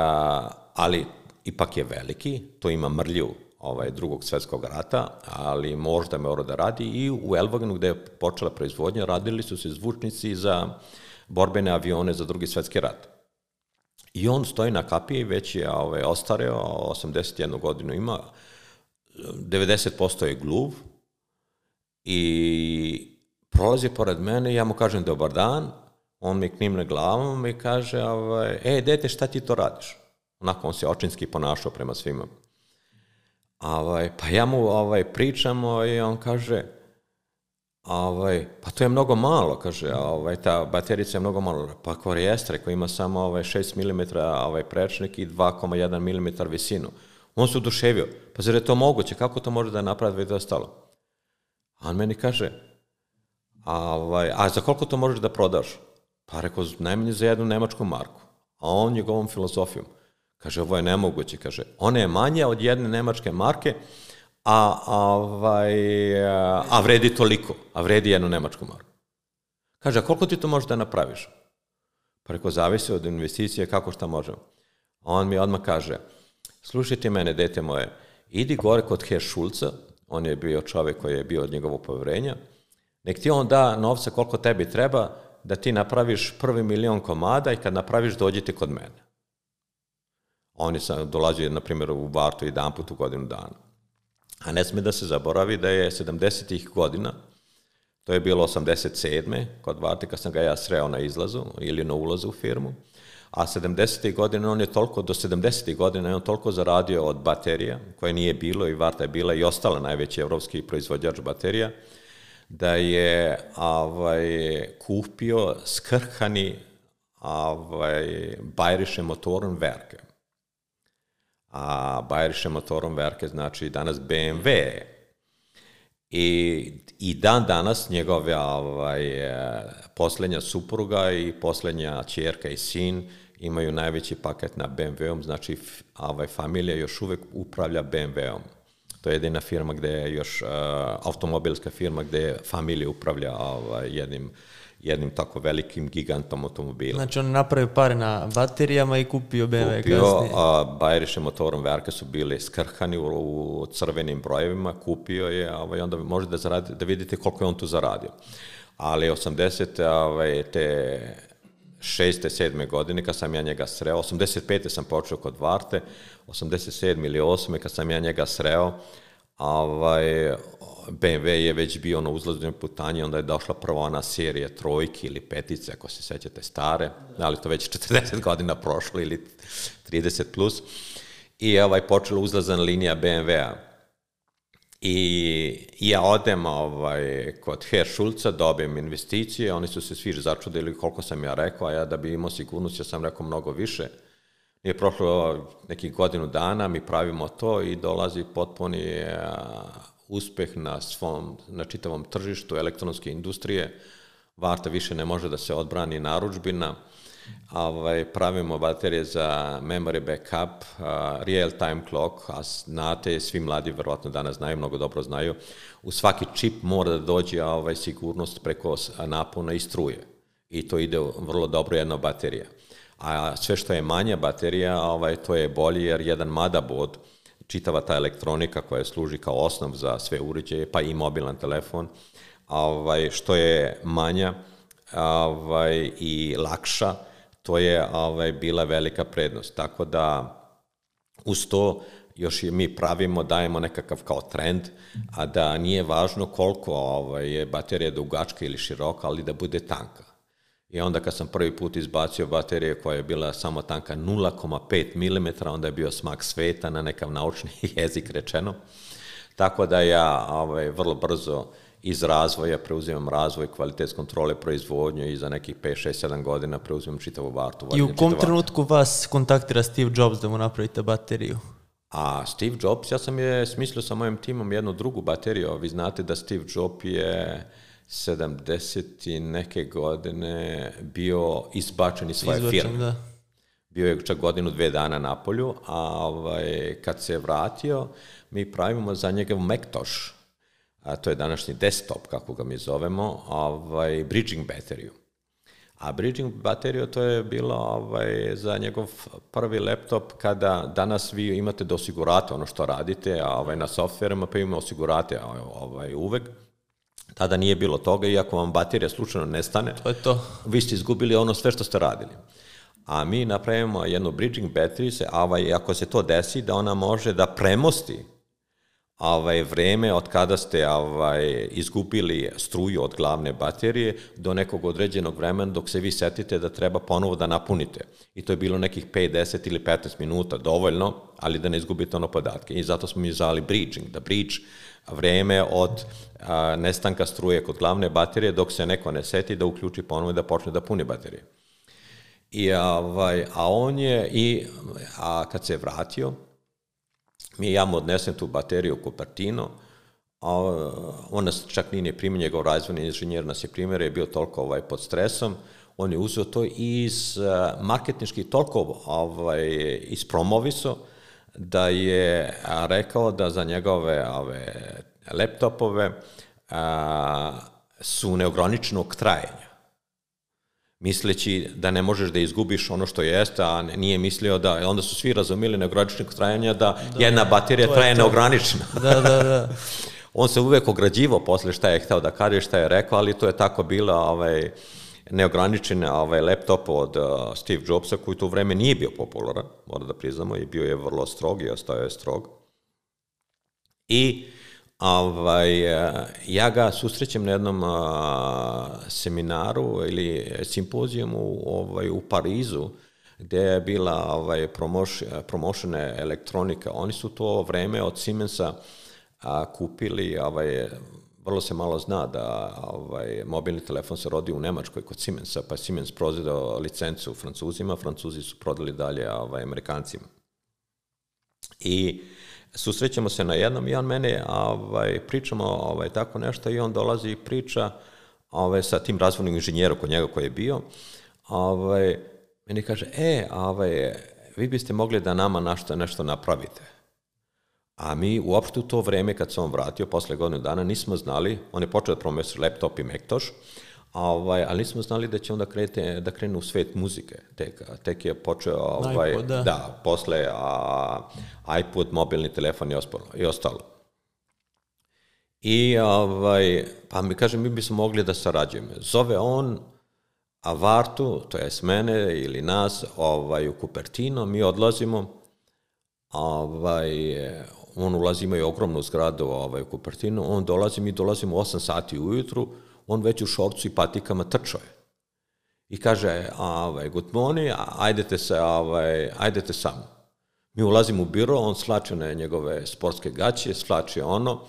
ali ipak je veliki, to ima mrlju ovaj, Drugog svjetskog rata, ali možda mora da radi i u Elvagenu gde je počela proizvodnja radili su se zvučnici za borbene avione za Drugi svjetski rat. I on stoji na kapiji, već je ovaj, ostareo, osamdeset jednu godinu ima, devedeset posto je gluv i prolazi pored mene i ja mu kažem dobar dan. On mi knimne glavom i kaže, ovaj, e, dete, šta ti to radiš? Onako, on se očinski ponašao prema svima. Ovaj, pa ja mu ovaj, pričam i on kaže, ovaj, pa to je mnogo malo, kaže, ovaj, ta baterica je mnogo malo. Pa korijestre koji ima samo ovaj, šest milimetara ovaj, prečnik i dva zarez jedan milimetar visinu. On se oduševio, pa zar je to moguće, kako to može da napravi da je ostalo? A on meni kaže, a, ovaj, a za koliko to možeš da prodaš? Pa rekao, najmanje za jednu nemačku marku. A on njegovom filozofijom. Kaže, ovo je nemoguće. Kaže, ona je manja od jedne nemačke marke, a, ovaj, a vredi toliko, a vredi jednu nemačku marku. Kaže, a koliko ti to možeš da napraviš? Pa reko, zavisi od investicije, kako šta možemo. A on mi odmah kaže, slušajte mene, dete moje, idi gore kod Herr Schulza, on je bio čovjek koji je bio od njegovog povjerenja, nek ti on da novca koliko tebi treba, da ti napraviš prvi milion komada i kad napraviš, dođite kod mene. On je sam dolazio, na primjer, u Vartu jedan put u godinu dana. A ne sme da se zaboravi da je sedamdesetih godina, to je bilo osamdeset sedme kod Varte, kad sam ga ja sreo na izlazu ili na ulazu u firmu, a sedamdesetih godina on je toliko, do sedamdesetih godina je on toliko zaradio od baterija, koje nije bilo i Varta je bila i ostala najveći evropski proizvođač baterija, da je ovaj, kupio skrhani ovaj, Bayerische Motorenwerke. A Bayerische Motorenwerke znači danas B M W. I, i dan danas njegove ovaj, posljednja supruga i posljednja ćerka i sin imaju najveći paket na B M W-om, znači ovaj, familija još uvek upravlja B M W-om. To je jedina firma gde je još, uh, automobilska firma gde familija upravlja ovaj, jednim, jednim tako velikim gigantom automobila. Znači on napravio pare na baterijama i kupio B M W kupio, kasnije. a Bayerische Motorenwerke su bili skrhani u, u crvenim brojevima, kupio je, ovaj, onda može da, zaradi, da vidite koliko je on tu zaradio. Ali osamdeset ovaj, te šeste, sedme godine, kad sam ja njega sreo, osamdeset pete sam počeo kod Varte, osamdeset sedme ili osme kad sam ja njega sreo, ovaj, B M W je već bio na uzlaznoj putanji, onda je došla prva ona serija trojke ili petice, ako se sećate stare, ali to već četrdeset godina prošlo ili trideset plus, i ovaj, počela uzlazna linija B M W-a. I ja odem ovaj, kod Herr Schulza, dobijem investicije, oni su se svi začudili koliko sam ja rekao, a ja da bi imao sigurnost, ja sam rekao mnogo više. Nije prošlo nekih godinu dana, mi pravimo to i dolazi potpuni uspeh na svom, na čitavom tržištu elektronske industrije. Varta više ne može da se odbrani narudžbina. Ovaj, pravimo baterije za memory backup, uh, real time clock, a znate, svi mladi verovatno danas znaju, mnogo dobro znaju, u svaki čip mora da dođe ovaj, sigurnost preko napona i struje. I to ide vrlo dobro jedna baterija. A sve što je manja baterija, ovaj, to je bolje jer jedan motherboard, čitava ta elektronika koja služi kao osnov za sve uređaje, pa i mobilan telefon, ovaj, što je manja ovaj, i lakša, to je ovaj, bila velika prednost. Tako da uz to još i mi pravimo, dajemo nekakav kao trend, a da nije važno koliko ovaj, je baterija dugačka ili široka, ali da bude tanka. I onda kad sam prvi put izbacio baterije koja je bila samo tanka nula zarez pet milimetara, onda je bio smak sveta na nekav naučni jezik rečeno. Tako da ja ovaj, vrlo brzo iz razvoja preuzimam razvoj, kvalitet kontrole, proizvodnje i za nekih pet, šest, sedam godina preuzimam čitavu Vartu. I u kom trenutku vas kontaktira Steve Jobs da mu napravite bateriju? A Steve Jobs, ja sam je smislio sa mojim timom jednu drugu bateriju. Vi znate da Steve Jobs je sedamdeset i neke godine bio izbačen iz svoje Izbačen, firme. Da. Bio je čak godinu, dve dana na polju, a ovaj, kad se vratio, mi pravimo za njega Macintosh, a to je današnji desktop, kako ga mi zovemo, ovaj, bridging bateriju. A bridging bateriju to je bilo ovaj, za njegov prvi laptop kada danas vi imate da osigurate ono što radite, a ovaj, na softverima pa ima osigurate ovaj, uvek. Tada nije bilo toga, iako vam baterija slučajno nestane, to je to. Vi ste izgubili ono sve što ste radili. A mi napravimo jednu bridging bateriju, a ovaj, ako se to desi, da ona može da premosti ovaj, vreme od kada ste ovaj, izgubili struju od glavne baterije do nekog određenog vremena dok se vi setite da treba ponovo da napunite. I to je bilo nekih pet, deset ili petnaest minuta, dovoljno, ali da ne izgubite ono podatke. I zato smo mi zvali bridging, da bridge vreme od a, nestanka struje kod glavne baterije dok se neko ne seti da uključi ponovo i da počne da puni baterije. I, ovaj, a on je, i, a kad se je vratio, mi ja mu odnesem tu bateriju u Cupertino, a on nas čak nije primio, njegov razvojni inženjer nas je primjer, je bio toliko ovaj, pod stresom, on je uzeo to iz marketinški toliko ovaj, ispromoviso, da je rekao da za njegove ove, laptopove a, su neograničenog trajanja. Misleći da ne možeš da izgubiš ono što jeste, a nije mislio da, onda su svi razumeli neograničenog trajanja, da, da jedna baterija traje neograničeno. Da, da, da. On se uvek ograđivao posle šta je hteo da kaže, šta je rekao, ali to je tako bilo ovaj, neograničen ovaj, laptop od uh, Steve Jobsa, koji u to vreme nije bio popularan, mora da priznamo, i bio je vrlo strog i ostao je strog. I ovaj, ja ga susrećem na jednom uh, seminaru ili simpozijumu ovaj, u Parizu, gde je bila ovaj, promošena elektronika. Oni su to vreme od Siemensa a, kupili, ovaj, vrlo se malo zna da ovaj, mobilni telefon se rodi u Nemačkoj kod Siemensa, pa je Siemens prodao licencu Francuzima, Francuzi su prodali dalje ovaj, Amerikancima. I susrećemo se na jednom i on mene, ovaj, pričamo ovaj, tako nešto i on dolazi i priča ovaj, sa tim razvojnim inženjerom kod njega koji je bio, ovaj, meni kaže, e, ovaj, vi biste mogli da nama nešto, nešto napravite. A mi uopšte u to vreme, kad se on vratio, posle godinu dana, nismo znali, on je počeo da promoviše laptop i Macintosh, ovaj, ali nismo znali da će on da, krete, da krene u svet muzike. Tek, tek je počeo, ovaj, iPod, da. da, posle a, iPod, mobilni telefon i, ospolo, i ostalo. I, ovaj, pa mi kaže, mi bismo mogli da sarađujemo. Zove on a Vartu, to je s mene ili nas, ovaj, u Cupertino, mi odlazimo, ovaj, on ulazi, ima i ogromnu zgradu ovaj, u Cupertino, on dolazi, mi dolazimo u osam sati ujutru, on već u šorcu i patikama trčao je. I kaže, ovaj, good morning, ajdete se, ovaj, ajdete samo. Mi ulazimo u biro, on slače na njegove sportske gaće, slače ono,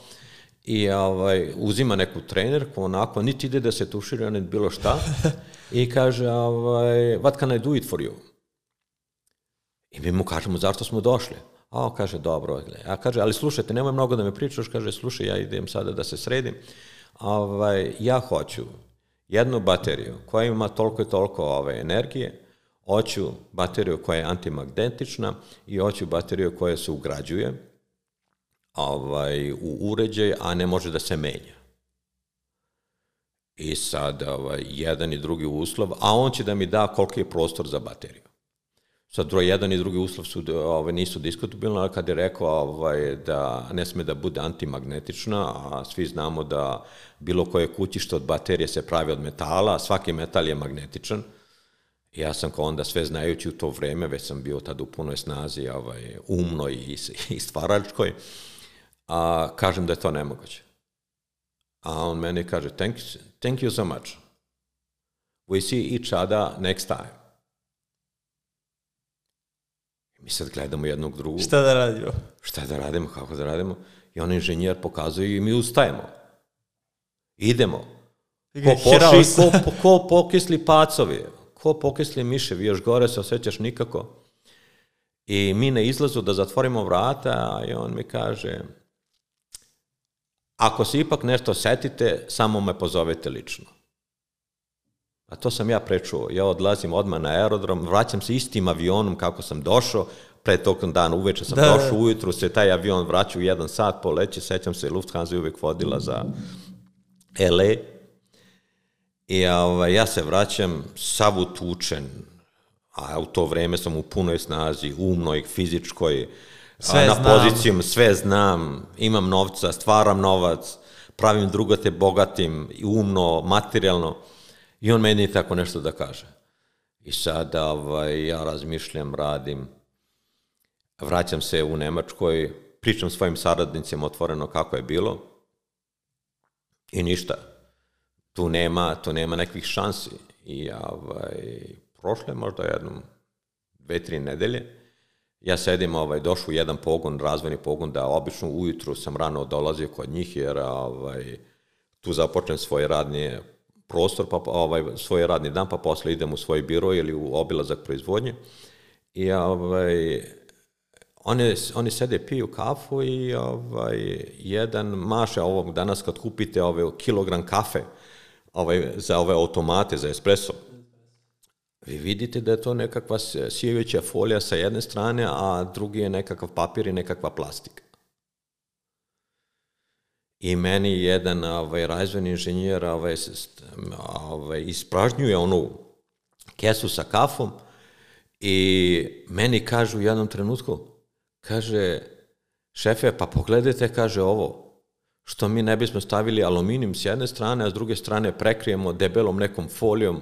i ovaj, uzima neku trenerku, onako, niti ide da se tušira, niti bilo šta, i kaže, ovaj, what can I do it for you? I mi mu kažemo, zašto smo došli? A on kaže, dobro, a kaže, ali slušajte, nemoj mnogo da me pričaš, kaže, slušaj, ja idem sada da se sredim, ovaj, ja hoću jednu bateriju koja ima toliko i toliko ove, energije, hoću bateriju koja je antimagnetična i hoću bateriju koja se ugrađuje ovaj, u uređaj, a ne može da se menja. I sad ovaj, jedan i drugi uslov, a on će da mi da koliki je prostor za bateriju. Sad, broj jedan i drugi uslov su, ovaj, nisu diskutabilni, ali kad je rekao ovaj, da ne sme da bude antimagnetična, a svi znamo da bilo koje kućište od baterije se pravi od metala, a svaki metal je magnetičan. Ja sam kao onda sve znajući u to vreme, već sam bio tada u punoj snazi, ovaj, umnoj i, i stvaračkoj, a kažem da je to nemoguće. A on meni kaže, thank you, thank you so much. We see each other next time. Mi sad gledamo jednog drugog. Šta da radimo? Šta da radimo, kako da radimo. I on inženjer pokazuje i mi ustajemo. Idemo. Ko, poši, ko, ko pokisli pacovi, ko pokisli miševi, još gore se osjećaš nikako. I mi na izlazu da zatvorimo vrata i on mi kaže, ako se ipak nešto setite, samo me pozovete lično. A to sam ja prečuo. Ja odlazim odmah na aerodrom, vraćam se istim avionom kako sam došao, pre tog dana uveče sam da. došao, ujutru se taj avion vraća u jedan sat, poleće, sećam se, Lufthansa je uvek vodila za L A. I ovaj, ja se vraćam sav utučen, a u to vreme sam u punoj snazi, umnoj, fizičkoj, sve na pozicijom, sve znam, imam novca, stvaram novac, pravim drugate bogatim, umno, materijalno. I on meni tako nešto da kaže. I sad ovaj, ja razmišljam, radim, vraćam se u Nemačkoj, pričam svojim saradnicima otvoreno kako je bilo i ništa. Tu nema, tu nema nekih šansi. I ovaj, prošle možda jednom dve, tri nedelje, ja sedim, ovaj, došao u jedan pogon, razvojni pogon, da obično ujutru sam rano dolazio kod njih, jer ovaj, tu započnem svoje radnje prostor, pa ovaj, svoj radni dan, pa posle idem u svoj biro ili u obilazak proizvodnje. I ovaj, oni, oni sede, piju kafu i ovaj, jedan maše ovog danas kad kupite ovaj, kilogram kafe ovaj, za ove automate, za espresso. vi vidite da je to nekakva sijevića folija sa jedne strane, a drugi je nekakav papir i nekakva plastika. I meni jedan ovaj, razvojni inženjer ovaj, ovaj, ispražnjuje onu kesu sa kafom i meni kažu u jednom trenutku, kaže, šefe, pa pogledajte, kaže ovo, što mi ne bismo stavili aluminijum s jedne strane, a s druge strane prekrijemo debelom nekom folijom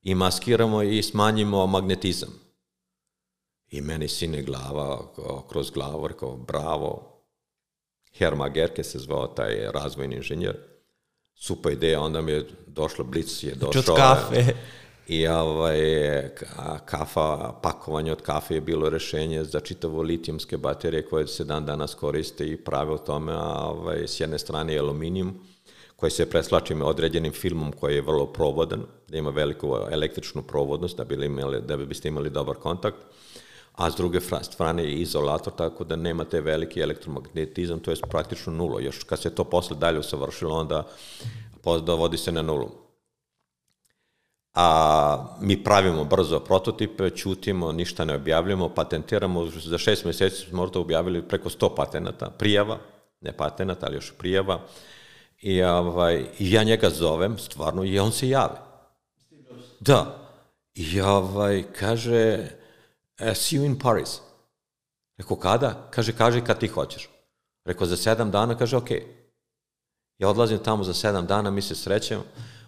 i maskiramo i smanjimo magnetizam. I meni sine glava, kroz glavu, rekao, bravo, Herma Gerke se zvao taj razvojni inženjer, super ideja, onda mi je došlo, Blic je došao. Od kafe. I ovaj, kafa, pakovanje od kafe je bilo rešenje za čitavo litijumske baterije koje se dan danas koriste i prave o tome, a ovaj, s jedne strane je aluminijum koji se preslači određenim filmom koji je vrlo provodan, da ima veliku električnu provodnost da bi, imali, da bi biste imali dobar kontakt, a s druge strane je izolator, tako da nemate veliki elektromagnetizam, to je praktično nulo. Još kad se to posle dalje usavršilo, onda dovodi se na nulu. A mi pravimo brzo prototipe, ćutimo, ništa ne objavljamo, patentiramo, za šest mjeseci smo možda objavili preko sto patenata, prijava, ne patenata, ali još prijava, i, ovaj, i ja njega zovem, stvarno, i on se javi. Da, i ovaj, kaže, see you in Paris. Rekao, kada? Kaže, kaži kad ti hoćeš. Rekao, za sedam dana, kaže, ok. Ja odlazim tamo za sedam dana, mi se srećemo,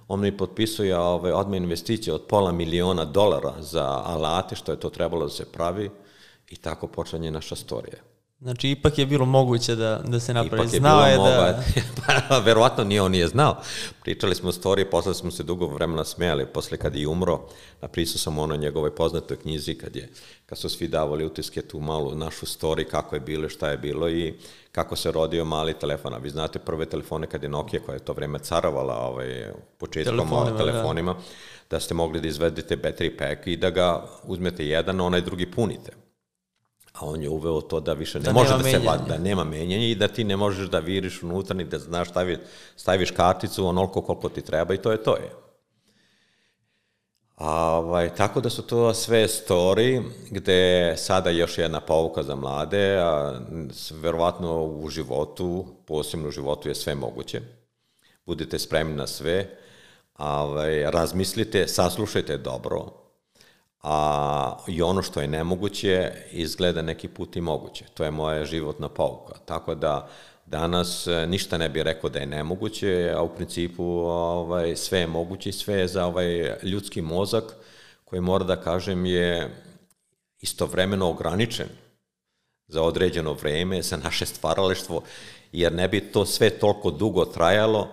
on mi potpisuje ovaj, odmah investicije od pola miliona dolara za alate, što je to trebalo da se pravi, i tako počinje naša storija. Znači, ipak je bilo moguće da, da se napravi. Ipak je znao bilo je moguće, da... pa verovatno nije on nije znao. Pričali smo o storiji, posle smo se dugo vremena smijali, posle kad je umro, napisao sam ono njegovoj poznatoj knjizi, kad, je, kad su svi davali utiske tu malu našu storiju, kako je bilo, šta je bilo i kako se rodio mali telefon. A vi znate prve telefone kad je Nokia, koja je to vreme carovala ovaj, početkom telefonima, telefonima da. da ste mogli da izvedete battery pack i da ga uzmete jedan, onaj drugi punite. A on je uveo to da više ne da može da se vadi, da nema menjanja i da ti ne možeš da viriš unutra, ni da znaš stavi, staviš karticu onoliko koliko ti treba i to je to je. A, ovaj, tako da su to sve story gde sada još jedna pouka za mlade, a verovatno u životu, posebno u životu je sve moguće. Budite spremni na sve, a, ovaj, razmislite, saslušajte dobro, a i ono što je nemoguće izgleda neki put i moguće. To je moja životna pouka. Tako da danas ništa ne bih rekao da je nemoguće, a u principu ovaj, sve je moguće, sve je za ovaj ljudski mozak koji, mora da kažem, je istovremeno ograničen za određeno vreme, za naše stvaralaštvo, jer ne bi to sve toliko dugo trajalo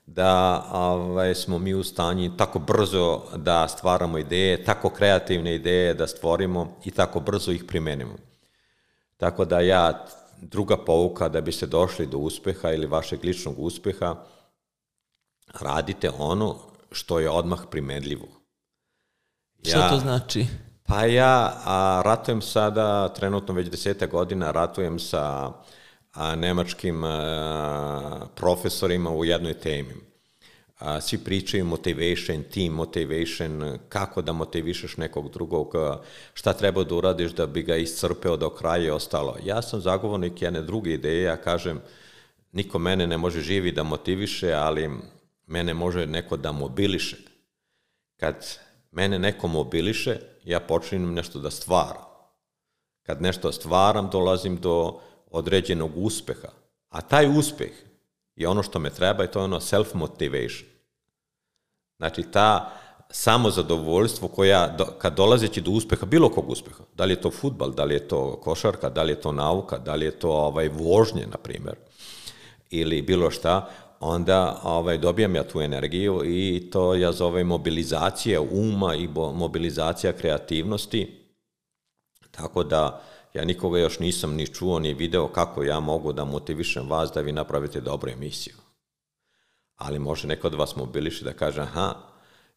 da ovaj, smo mi u stanju tako brzo da stvaramo ideje, tako kreativne ideje da stvorimo i tako brzo ih primenimo. Tako da ja, druga pouka, da biste došli do uspeha ili vašeg ličnog uspeha, radite ono što je odmah primenljivo. Ja, što to znači? Pa ja a, ratujem sada, trenutno već deseta godina, ratujem sa a, nemačkim a, profesorima u jednoj temi. A, svi pričaju motivation, team motivation, kako da motivišeš nekog drugog, šta treba da uradiš da bi ga iscrpeo do kraja i ostalo. Ja sam zagovornik jedne druge ideje, ja kažem, niko mene ne može živi da motiviše, ali mene može neko da mobiliše. Kad mene neko mobiliše, ja počinem nešto da stvaram. Kad nešto stvaram, dolazim do određenog uspeha. A taj uspeh je ono što me treba i to je ono self-motivation. Znači, ta samozadovoljstvo koja, kad dolazeći do uspeha, bilo kog uspeha, da li je to fudbal, da li je to košarka, da li je to nauka, da li je to ovaj, vožnje, na primjer, ili bilo šta, onda ovaj, dobijam ja tu energiju i to ja zovem mobilizacija uma i mobilizacija kreativnosti. Tako da ja nikoga još nisam ni čuo, ni video kako ja mogu da motivišem vas da vi napravite dobru emisiju. Ali može neko da vas mobiliše da kaže, aha,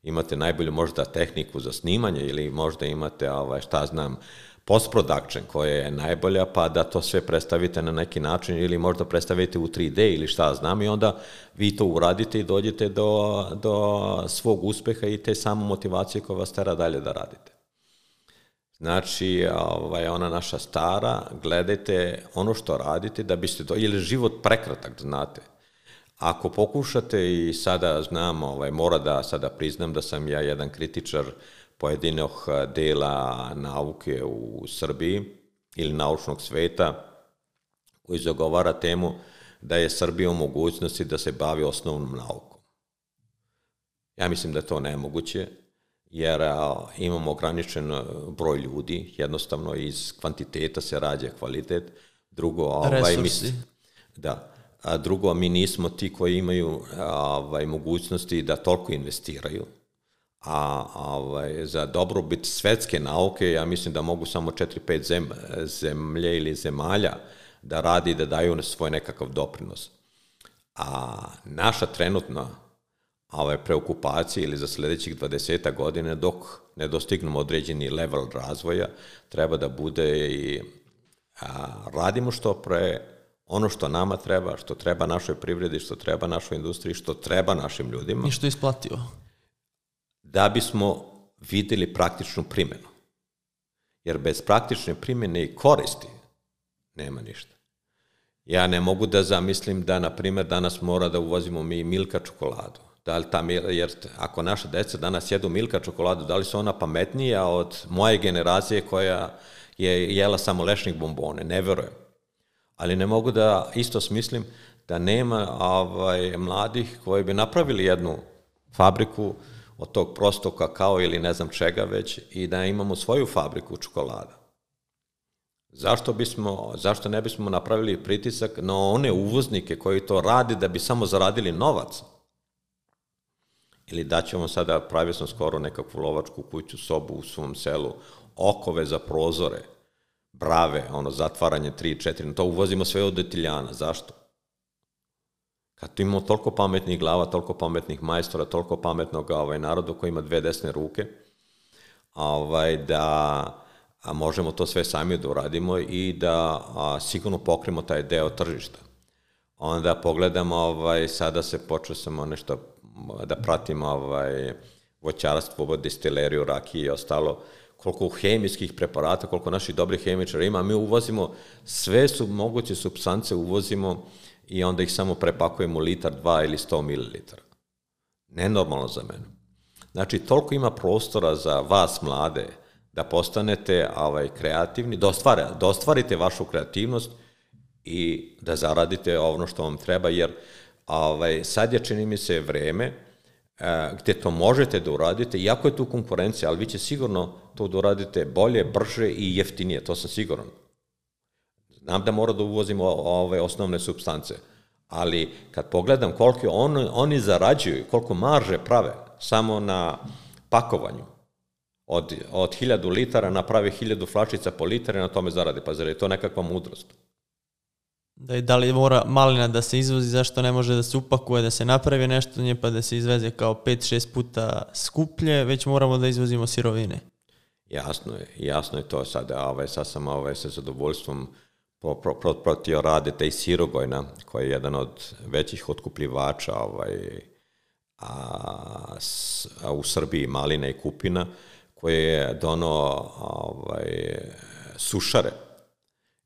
imate najbolju možda tehniku za snimanje ili možda imate, ovaj, šta znam, post-production koja je najbolja, pa da to sve predstavite na neki način ili možda predstavite u tri de ili šta znam i onda vi to uradite i dođete do, do svog uspeha i te samo motivacije koja vas tera dalje da radite. Znači, ovaj, ona naša stara, gledajte ono što radite da biste, do, ili život prekratak, znate. Ako pokušate i sada znam, ovaj, mora da sada priznam da sam ja jedan kritičar pojedinog dela nauke u Srbiji ili naučnog sveta koji zagovara temu da je Srbija u mogućnosti da se bavi osnovnom naukom. Ja mislim da je to nemoguće, jer a, imamo ograničen broj ljudi, jednostavno iz kvantiteta se rađa kvalitet. Drugo, ovaj, mi, da, a drugo, mi nismo ti koji imaju ovaj, mogućnosti da toliko investiraju. A ovaj, za dobrobit svetske nauke, ja mislim da mogu samo četiri pet zem, zemlje ili zemalja da radi i da daju svoj nekakav doprinos. A naša trenutna ovaj, preokupacija ili za sljedećih dvadeset godina dok ne dostignemo određeni level razvoja, treba da bude i a, radimo što pre ono što nama treba, što treba našoj privredi, što treba našoj industriji, što treba našim ljudima. I što je isplativo. Da bismo videli praktičnu primjenu. Jer bez praktične primjene i koristi nema ništa. Ja ne mogu da zamislim da, na primjer, danas mora da uvozimo mi Milka čokoladu. Da li ta, jer ako naša deca danas jedu Milka čokoladu, da li su ona pametnija od moje generacije koja je jela samo lešnik bombone? Ne verujem. Ali ne mogu da isto smislim da nema ovaj, mladih koji bi napravili jednu fabriku od tog prostog kakao ili ne znam čega već i da imamo svoju fabriku čokolada. Zašto bismo, zašto ne bismo napravili pritisak na one uvoznike koji to radi da bi samo zaradili novac? Ili da ćemo sada, pravio sam skoro nekakvu lovačku kuću, sobu u svom selu, okove za prozore, brave, ono, zatvaranje tri četiri, to uvozimo sve od Italijana. Zašto? Kad tu imamo toliko pametnih glava, toliko pametnih majstora, toliko pametnog ovaj, naroda koji ima dve desne ruke, ovaj, da a možemo to sve sami da uradimo i da a, sigurno pokrimo taj deo tržišta. Onda pogledamo, ovaj, sada se počeo samo nešto da pratimo ovaj, voćarstvo, destileriju, rakije i ostalo, koliko hemijskih preparata, koliko naših dobrih hemičara ima, mi uvozimo sve su moguće supstance, uvozimo i onda ih samo prepakujemo litar, dva ili sto mililitara. Nenormalno za mene. Znači, toliko ima prostora za vas, mlade, da postanete ovaj, kreativni, da, ostvare, da ostvarite vašu kreativnost i da zaradite ono što vam treba, jer ovaj, sad je, čini mi se, vreme eh, gde to možete da uradite, iako je tu konkurencija, ali vi će sigurno to da uradite bolje, brže i jeftinije, to sam siguran. Znam da mora da uvozimo ove osnovne supstance, ali kad pogledam koliko on, oni zarađuju, koliko marže prave samo na pakovanju, od, od hiljadu litara naprave hiljadu flačica po litara i na tome zarade, pa zar je to nekakva mudrost? Da, da li mora malina da se izvozi, zašto ne može da se upakuje, da se napravi nešto nje pa da se izveze kao pet šest puta skuplje, već moramo da izvozimo sirovine. Jasno je, jasno je to sada, ovaj, sad sam ovaj, sa zadovoljstvom protpratio rade taj Sirogojna, koji je jedan od većih otkupljivača ovaj, a, s, a u Srbiji malina i kupina, koji je donao ovaj, sušare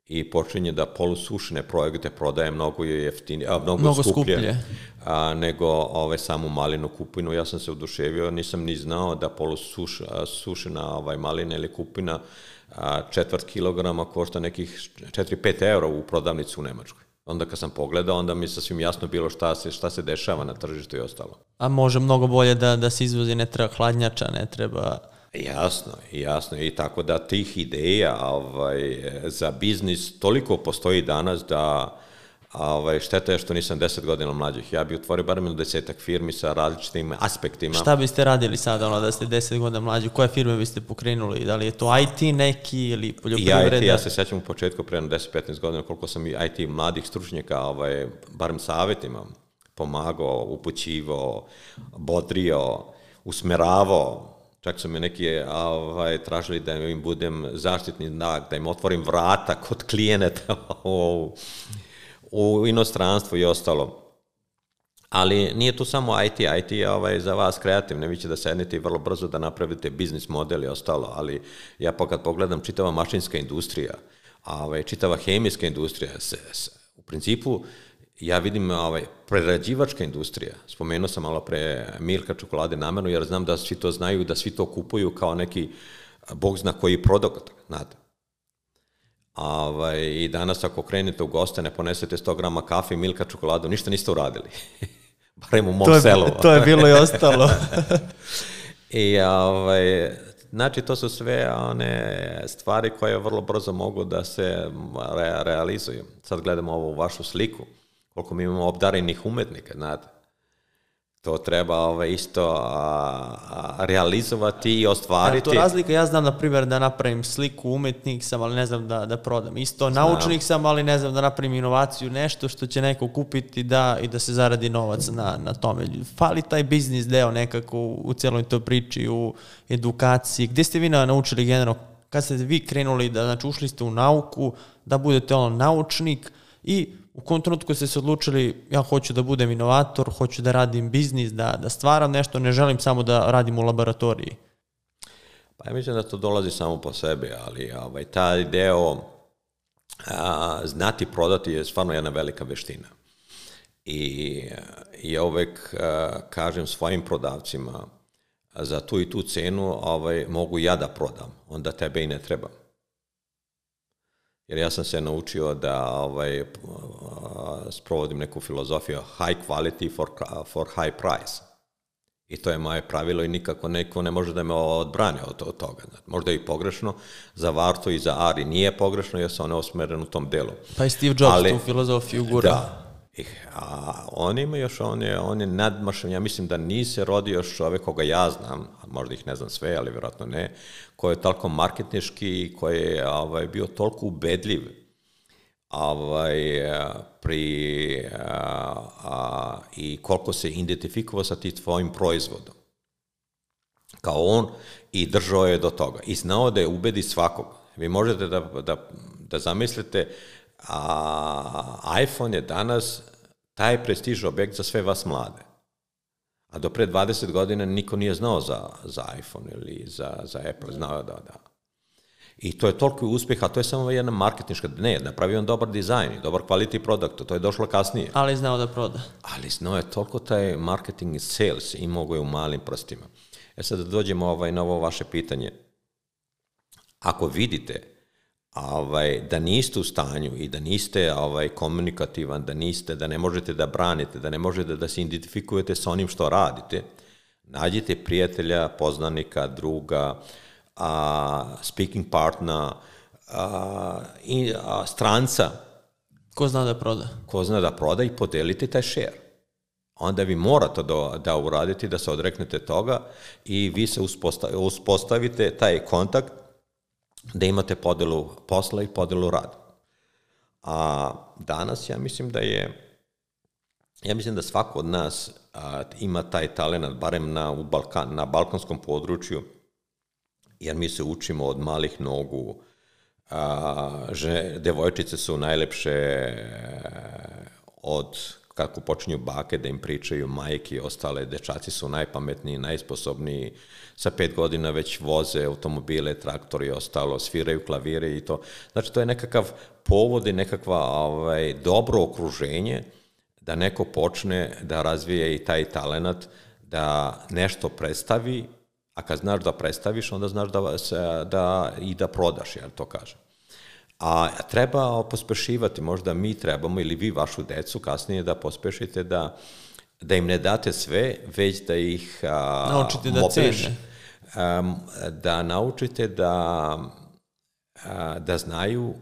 i počinje da polusušene projekte prodaje mnogo jeftinije, a, mnogo, mnogo skuplje, skuplje. A, nego ovaj, samu malinu kupinu. Ja sam se oduševio, nisam ni znao da polusušena ovaj, malina ili kupina a, četvrt kilograma košta nekih četiri pet eura u prodavnicu u Nemačkoj. Onda kad sam pogledao, onda mi je sasvim jasno bilo šta se, šta se dešava na tržištu i ostalo. A može mnogo bolje da, da se izvozi, ne treba hladnjača, ne treba... Jasno, jasno. I tako da tih ideja ovaj, za biznis toliko postoji danas da ovaj, šteta je što nisam deset godina mlađih. Ja bih otvorio barem desetak firmi sa različitim aspektima. Šta biste radili sada, ono, da ste deset godina mlađi? Koje firme biste pokrenuli? Da li je to I T neki ili poljoprivreda? I I T, ja se sećam u početku, pre deset petnaest godina, koliko sam i I T mladih stručnjaka, ovaj, barem savjetima, pomagao, upućivao, bodrio, usmeravao. Čak su mi neki ovaj, tražili da im budem zaštitni znak, da im otvorim vrata kod klijenata u, u inostranstvu i ostalo. Ali nije tu samo I T, I T je ovaj, za vas kreativno, vi će da sednete i vrlo brzo da napravite biznis model i ostalo, ali ja pa kad pogledam čitava mašinska industrija, ovaj, čitava hemijska industrija, se, se, u principu ja vidim ovaj, prerađivačka industrija, spomenuo sam malo pre Milka čokolade namerno, jer znam da svi to znaju, da svi to kupuju kao neki bog zna koji produkt, znate. Ovaj, i danas ako krenete u goste, ne ponesete sto grama kafe i Milka čokoladu, ništa niste uradili. Barem u mom to je, selu. To je bilo i ostalo. I ovaj, znači to su sve one stvari koje vrlo brzo mogu da se re, realizuju. Sad gledamo ovu vašu sliku, koliko mi imamo obdarenih umetnika, znate. To treba ovaj, isto a, a, realizovati i ostvariti. A to razlika, ja znam na primjer da napravim sliku, umetnik sam, ali ne znam da, da prodam. Isto Znam. naučnik sam, ali ne znam da napravim inovaciju, nešto što će neko kupiti da, i da se zaradi novac na, na tome. Fali taj biznis deo nekako u, u cijeloj toj priči, u edukaciji. Gdje ste vi naučili generalno, kad ste vi krenuli, da, znači ušli ste u nauku, da budete on naučnik i u kom trenutku ste se odlučili, ja hoću da budem inovator, hoću da radim biznis, da, da stvaram nešto, ne želim samo da radim u laboratoriji? Pa ja mislim da to dolazi samo po sebi, ali ovaj, taj deo a, znati prodati je stvarno jedna velika veština. I ja uvek a, kažem svojim prodavcima, za tu i tu cenu ovaj, mogu ja da prodam, onda tebe i ne trebam. Jer ja sam se naučio da ovaj, sprovodim neku filozofiju high quality for, for high price. I to je moje pravilo i nikako neko ne može da me odbrane od, od toga. Možda je i pogrešno, za Varto i za Ari nije pogrešno jer se one osmeren u tom delu. Pa i Steve Jobs ali, tu filozofiju gura. Da. A on ima još, on je, on je nadmašan, ja mislim da nije se rodio još čovek koga ja znam, možda ih ne znam sve, ali vjerojatno ne, koji je toliko marketnički, koji je ovaj, bio toliko ubedljiv ovaj, pri, a, a, i koliko se identifikovao sa tim tvojim proizvodom. Kao on i držao je do toga. I znao da je ubedi svakog. Vi možete da, da, da zamislite, a iPhone je danas taj prestiž objekt za sve vas mlade. A do pre dvadeset godina niko nije znao za, za iPhone ili za, za Apple, znao da, da. I to je toliko uspjeh, a to je samo jedna marketinška, ne, napravio on dobar dizajn, dobar quality product, to je došlo kasnije. Ali znao da proda. Ali znao je toliko taj marketing i sales i mogo je u malim prstima. E sad da dođemo ovaj, na ovo vaše pitanje. Ako vidite ovaj, da niste u stanju i da niste ovaj, komunikativan, da niste, da ne možete da branite, da ne možete da se identifikujete sa onim što radite, nađite prijatelja, poznanika, druga, a, speaking partner, a, i, a, stranca. Ko zna da proda. Ko zna da proda i podelite taj share. Onda vi morate da, da uradite, da se odreknete toga i vi se uspostavite, uspostavite taj kontakt da imate podelu posla i podelu rada. A danas ja mislim da je, ja mislim da svako od nas a, ima taj talent, barem na, u Balkan, na balkanskom području, jer mi se učimo od malih nogu. A, žene, devojčice su najlepše od kako počinju bake da im pričaju majke i ostale, dečaci su najpametniji, najsposobniji, sa pet godina već voze automobile, traktori i ostalo, sviraju klavire i to. Znači, to je nekakav povod i nekakva ovaj, dobro okruženje da neko počne da razvije i taj talenat, da nešto predstavi, a kad znaš da predstaviš, onda znaš da, se, da i da prodaš, ja to kažem. A treba pospešivati, možda mi trebamo ili vi vašu decu kasnije da pospešite da, da im ne date sve, već da ih a, naučite da cene. A, da naučite da, a, da znaju,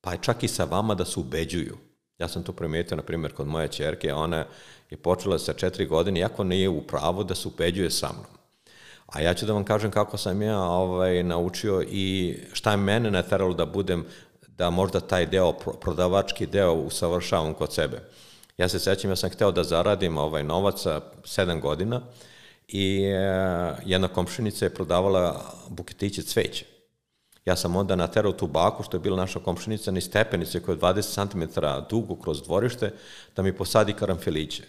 pa čak i sa vama da se ubeđuju. Ja sam to primetio, na primjer, kod moje ćerke, ona je počela sa četiri godine, iako nije u pravu da se ubeđuje sa mnom. A ja ću da vam kažem kako sam ja ovaj, naučio i šta je mene nateralo da budem, da možda taj deo, prodavački deo usavršavam kod sebe. Ja se sećam, ja sam hteo da zaradim ovaj novac sa sedam godina i e, jedna komšinica je prodavala buketiće cveće. Ja sam onda naterao tu baku, što je bila naša komšinica, ni stepenice koja je dvadeset centimetara dugo kroz dvorište, da mi posadi karanfiliće.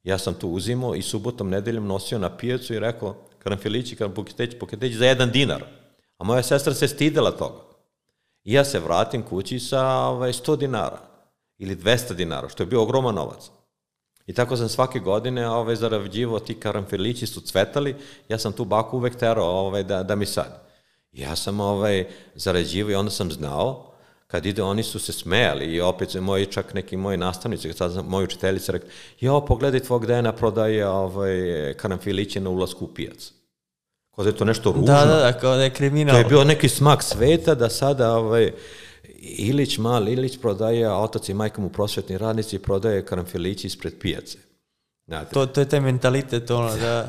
Ja sam tu uzimao i subotom, nedeljom nosio na pijacu i rekao, karanfilići, buketić, buketić za jedan dinar. A moja sestra se stidela toga. I ja se vratim kući sa ovaj, sto dinara ili dvesta dinara, što je bio ogroman novac. I tako sam svake godine ovaj, zarađivao, ti karanfilići su cvetali, ja sam tu baku uvek terao ovaj, da, da mi sadi. Ja sam ovaj, zarađivao i onda sam znao, kad ide, oni su se smejali i opet moji, čak neki moji nastavnici, sad sam moji učiteljice rekli, jo, pogledaj tvog Dejana prodaje ovaj, karanfiliće na ulasku u pijac. Kao da je to nešto ružno. Da, da, da, kao da je kriminal. To je bio neki smak sveta da sada ovaj, Ilić, mali Ilić prodaje, a otac i majka mu prosvetni radnici prodaje karanfilići ispred pijace. Znate? To, to je taj mentalitet, ono, da...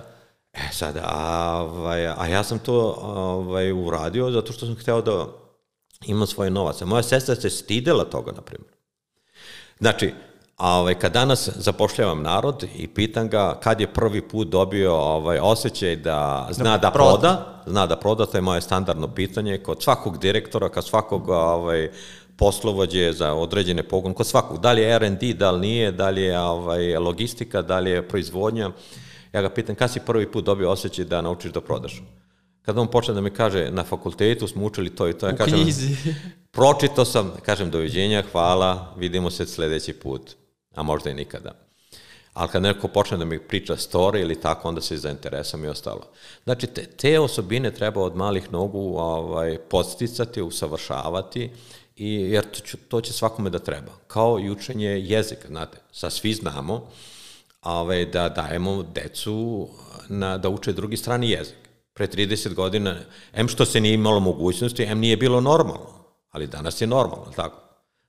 E sada, a, ovaj, a ja sam to ovaj, uradio zato što sam hteo da imam svoje novace. Moja sestra se stidela toga, na primjer. Znači, a ovaj, kad danas zapošljavam narod i pitam ga kad je prvi put dobio ovaj, osjećaj da zna da, da proda, zna da proda, to je moje standardno pitanje, kod svakog direktora, kod svakog ovaj, poslovođe za određene pogon, kod svakog, da li je er en de, da li nije, da li je ovaj, logistika, da li je proizvodnja, ja ga pitam kad si prvi put dobio osjećaj da naučiš da prodaš. Kad on počne da mi kaže, na fakultetu smo učili to i to, ja u kažem, knjizi. Pročitao sam, kažem doviđenja, hvala, vidimo se sledeći put, a možda i nikada. Ali kad neko počne da mi priča story ili tako, onda se zainteresam i ostalo. Znači, te, te osobine treba od malih nogu ovaj, podsticati, usavršavati, i, jer to, to će svakome da treba. Kao i učenje jezika, znate, sad svi znamo ovaj, da dajemo decu na, da uče drugi strani jezik. Pre trideset godina, em što se nije imalo mogućnosti, em nije bilo normalno, ali danas je normalno, tako?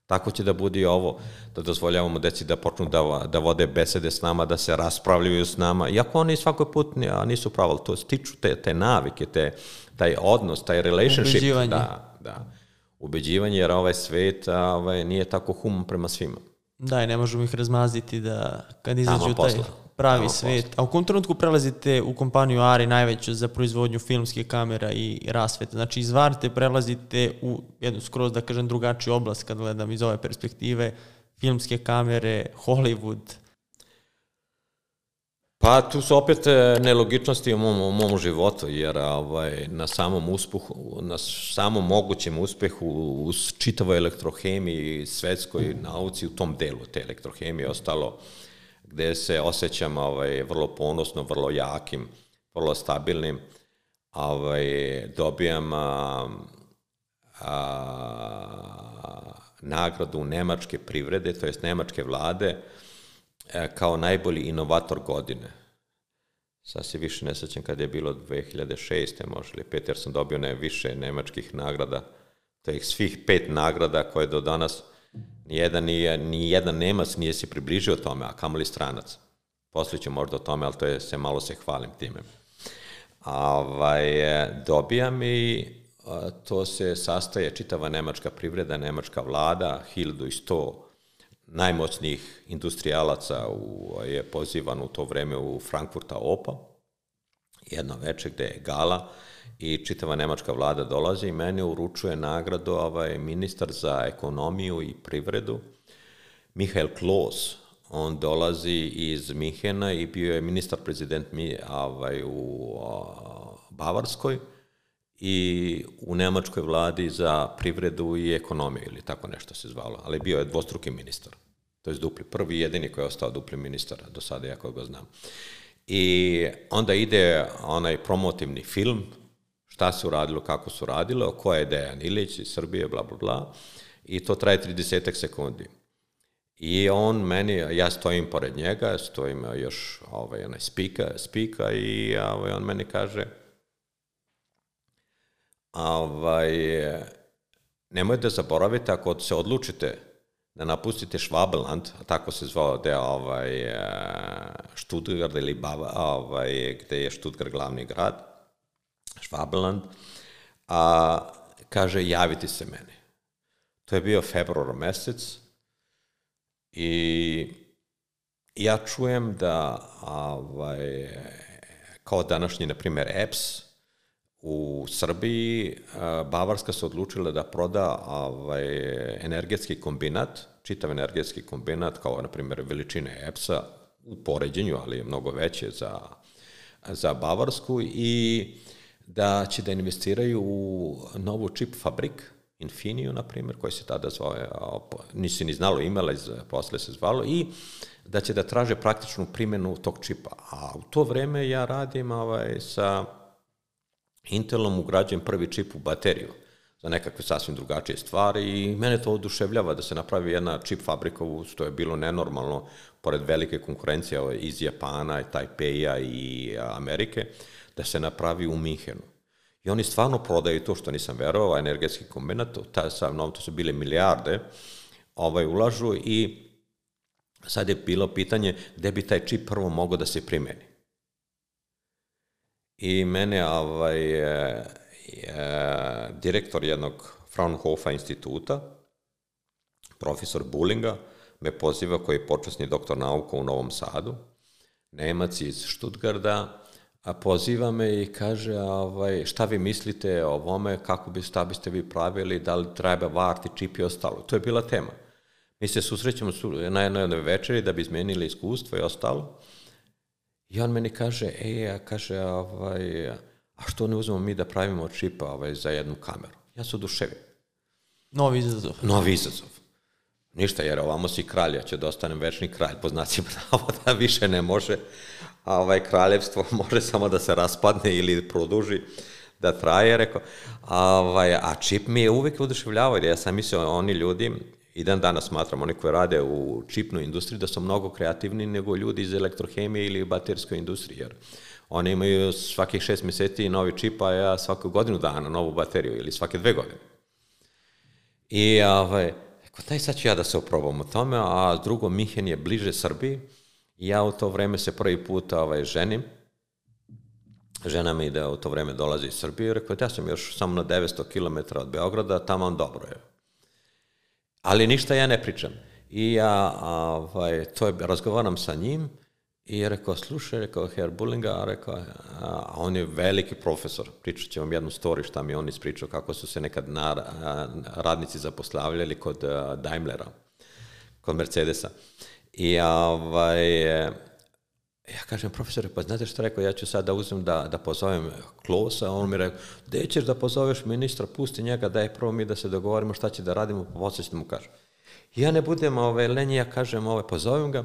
Tako će da bude i ovo, da dozvoljavamo deci da počnu da, da vode besede s nama, da se raspravljaju s nama, iako oni svakoj put nisu pravo, ali to stiču te, te navike, te, taj odnos, taj relationship. Ubeđivanje. Da, da. Ubeđivanje, jer ovaj svet ovaj, nije tako human prema svima. Da, i ne možemo ih razmaziti da kad izađu taj pravi Tamo svet. posla. A u kom trenutku prelazite u kompaniju Ari, najveću za proizvodnju filmskih kamera i rasvete? Znači, iz Varte prelazite u jednu skroz, da kažem, drugačiju oblast, kad gledam iz ove perspektive, filmske kamere, Hollywood. Pa tu su opet nelogičnosti u mom, u mom životu, jer ovaj, na samom uspehu, na samom mogućem uspehu u čitavoj elektrohemiji, svetskoj nauci, u tom delu te elektrohemije ostalo, gde se osjećam ovaj, vrlo ponosno, vrlo jakim, vrlo stabilnim, ovaj, dobijam a, a, nagradu Nemačke privrede, to jest Nemačke vlade, kao najbolji inovator godine. Sad se više ne sećam kada je bilo dve hiljade šeste možda ili pet, jer sam dobio ne više nemačkih nagrada. To je svih pet nagrada koje do danas nijedan, nije, nijedan Nemac nije se približio tome, a kamoli stranac. Poslije ću možda o tome, ali to je, se malo se hvalim time. Ovaj, dobijam i to se sastaje čitava nemačka privreda, nemačka vlada, hiljadu sto najmoćnijih industrijalaca u, je pozivan u to vreme u Frankfurta Opa, jedno veče gde je gala i čitava nemačka vlada dolazi i meni uručuje nagradu ovaj, ministar za ekonomiju i privredu, Michael Kloss. On dolazi iz Minhena i bio je ministar prezident ovaj, u Bavarskoj i u nemačkoj vladi za privredu i ekonomiju, ili tako nešto se zvalo, ali bio je dvostruki ministar. To je dupli, prvi i jedini koji je ostao dupli ministar, do sada ja koga znam. I onda ide onaj promotivni film, šta se uradilo, kako se uradilo, ko je Dejan Ilić iz Srbije, bla, bla, bla, i to traje trideset sekundi. I on meni, ja stojim pored njega, stojim još ovaj, onaj spika, spika i ovaj, on meni kaže, Ovaj, nemojte da zaboravite, ako se odlučite da napustite Schwabenland, a tako se zvao deo ovaj, Stuttgart ili Bava, ovaj, gde je Stuttgart glavni grad, Schwabenland, a kaže javite se meni. To je bio februar mesec i ja čujem da ovaj, kao današnji, na primjer, E P S u Srbiji, Bavarska se odlučila da proda ovaj, energetski kombinat, čitav energetski kombinat, kao, na primjer, veličine E P S-a u poređenju, ali je mnogo veće za, za Bavarsku, i da će da investiraju u novu čip fabrik, Infiniju, na primjer, koji se tada zvao, nisi ni znalo imela, posle se zvalo, i da će da traže praktičnu primjenu tog čipa. A u to vreme ja radim ovaj, sa Intelom, ugrađujem prvi čip u bateriju za nekakve sasvim drugačije stvari, i mene to oduševljava da se napravi jedna čip fabrika, što je bilo nenormalno, pored velike konkurencije ovaj, iz Japana, Tajpeja i Amerike, da se napravi u Minhenu. I oni stvarno prodaju to, što nisam verovao, energetski kombinat, to su bile milijarde, ovaj, ulažu, i sad je bilo pitanje gde bi taj čip prvo mogao da se primeni. I mene ovaj, je, je, direktor jednog Fraunhofer instituta, profesor Bullinga, me poziva, koji je počasni doktor nauka u Novom Sadu, Nemac iz Stuttgarta, a poziva me i kaže, ovaj, šta vi mislite o ovome, kako bi, šta biste vi pravili, da li treba varti čip i ostalo. To je bila tema. Mi se susrećemo na jednoj večeri da bi izmenili iskustvo i ostalo. I on meni kaže, e, a kaže, ovaj, a što ne uzmemo mi da pravimo čipa ovaj, za jednu kameru? Ja se oduševim. Novi izazov. Novi izazov. Ništa, jer ovamo si kralj, ja ću da ostanem večni kralj, po znacima navoda više ne može, a ovaj kraljevstvo može samo da se raspadne ili produži, da traje, rekao. A, ovaj, a čip mi je uvek oduševljavao, jer ja sam mislio, oni ljudi, i dan danas smatram, oni koji rade u čipnoj industriji, da su mnogo kreativni nego ljudi iz elektrohemije ili baterijskoj industriji, jer oni imaju svakih šest meseci novi čip, a ja svaku godinu dana novu bateriju, ili svake dve godine. I, ovaj, rekao, daj sad ću ja da se oprobam o tome, a drugo, Minhen je bliže Srbiji, i ja u to vreme se prvi put ovaj, ženim. Žena mi da u to vreme dolazi iz Srbije, rekao, ja sam još samo na devetsto kilometara od Beograda, tamo vam dobro je. Ali ništa ja ne pričam. I ja ovaj, to je, razgovaram sa njim i rekao, slušaj, rekao, Herr Bullinga, rekao, a on je veliki profesor, pričat će vam jednu story šta mi on ispričao, kako su se nekad na, radnici zaposlavljali kod Daimlera, kod Mercedesa. I ovaj, ja kažem, profesore, pa znate što rekao, ja ću sad da uzmem da, da pozovem Klosa, on mi rekao, gde ćeš da pozoveš ministra, pusti njega, daj prvo mi da se dogovorimo šta će da radimo, pa posle ću da mu kažem. I ja ne budem ovaj, lenji, ja kažem, ovaj, pozovem ga,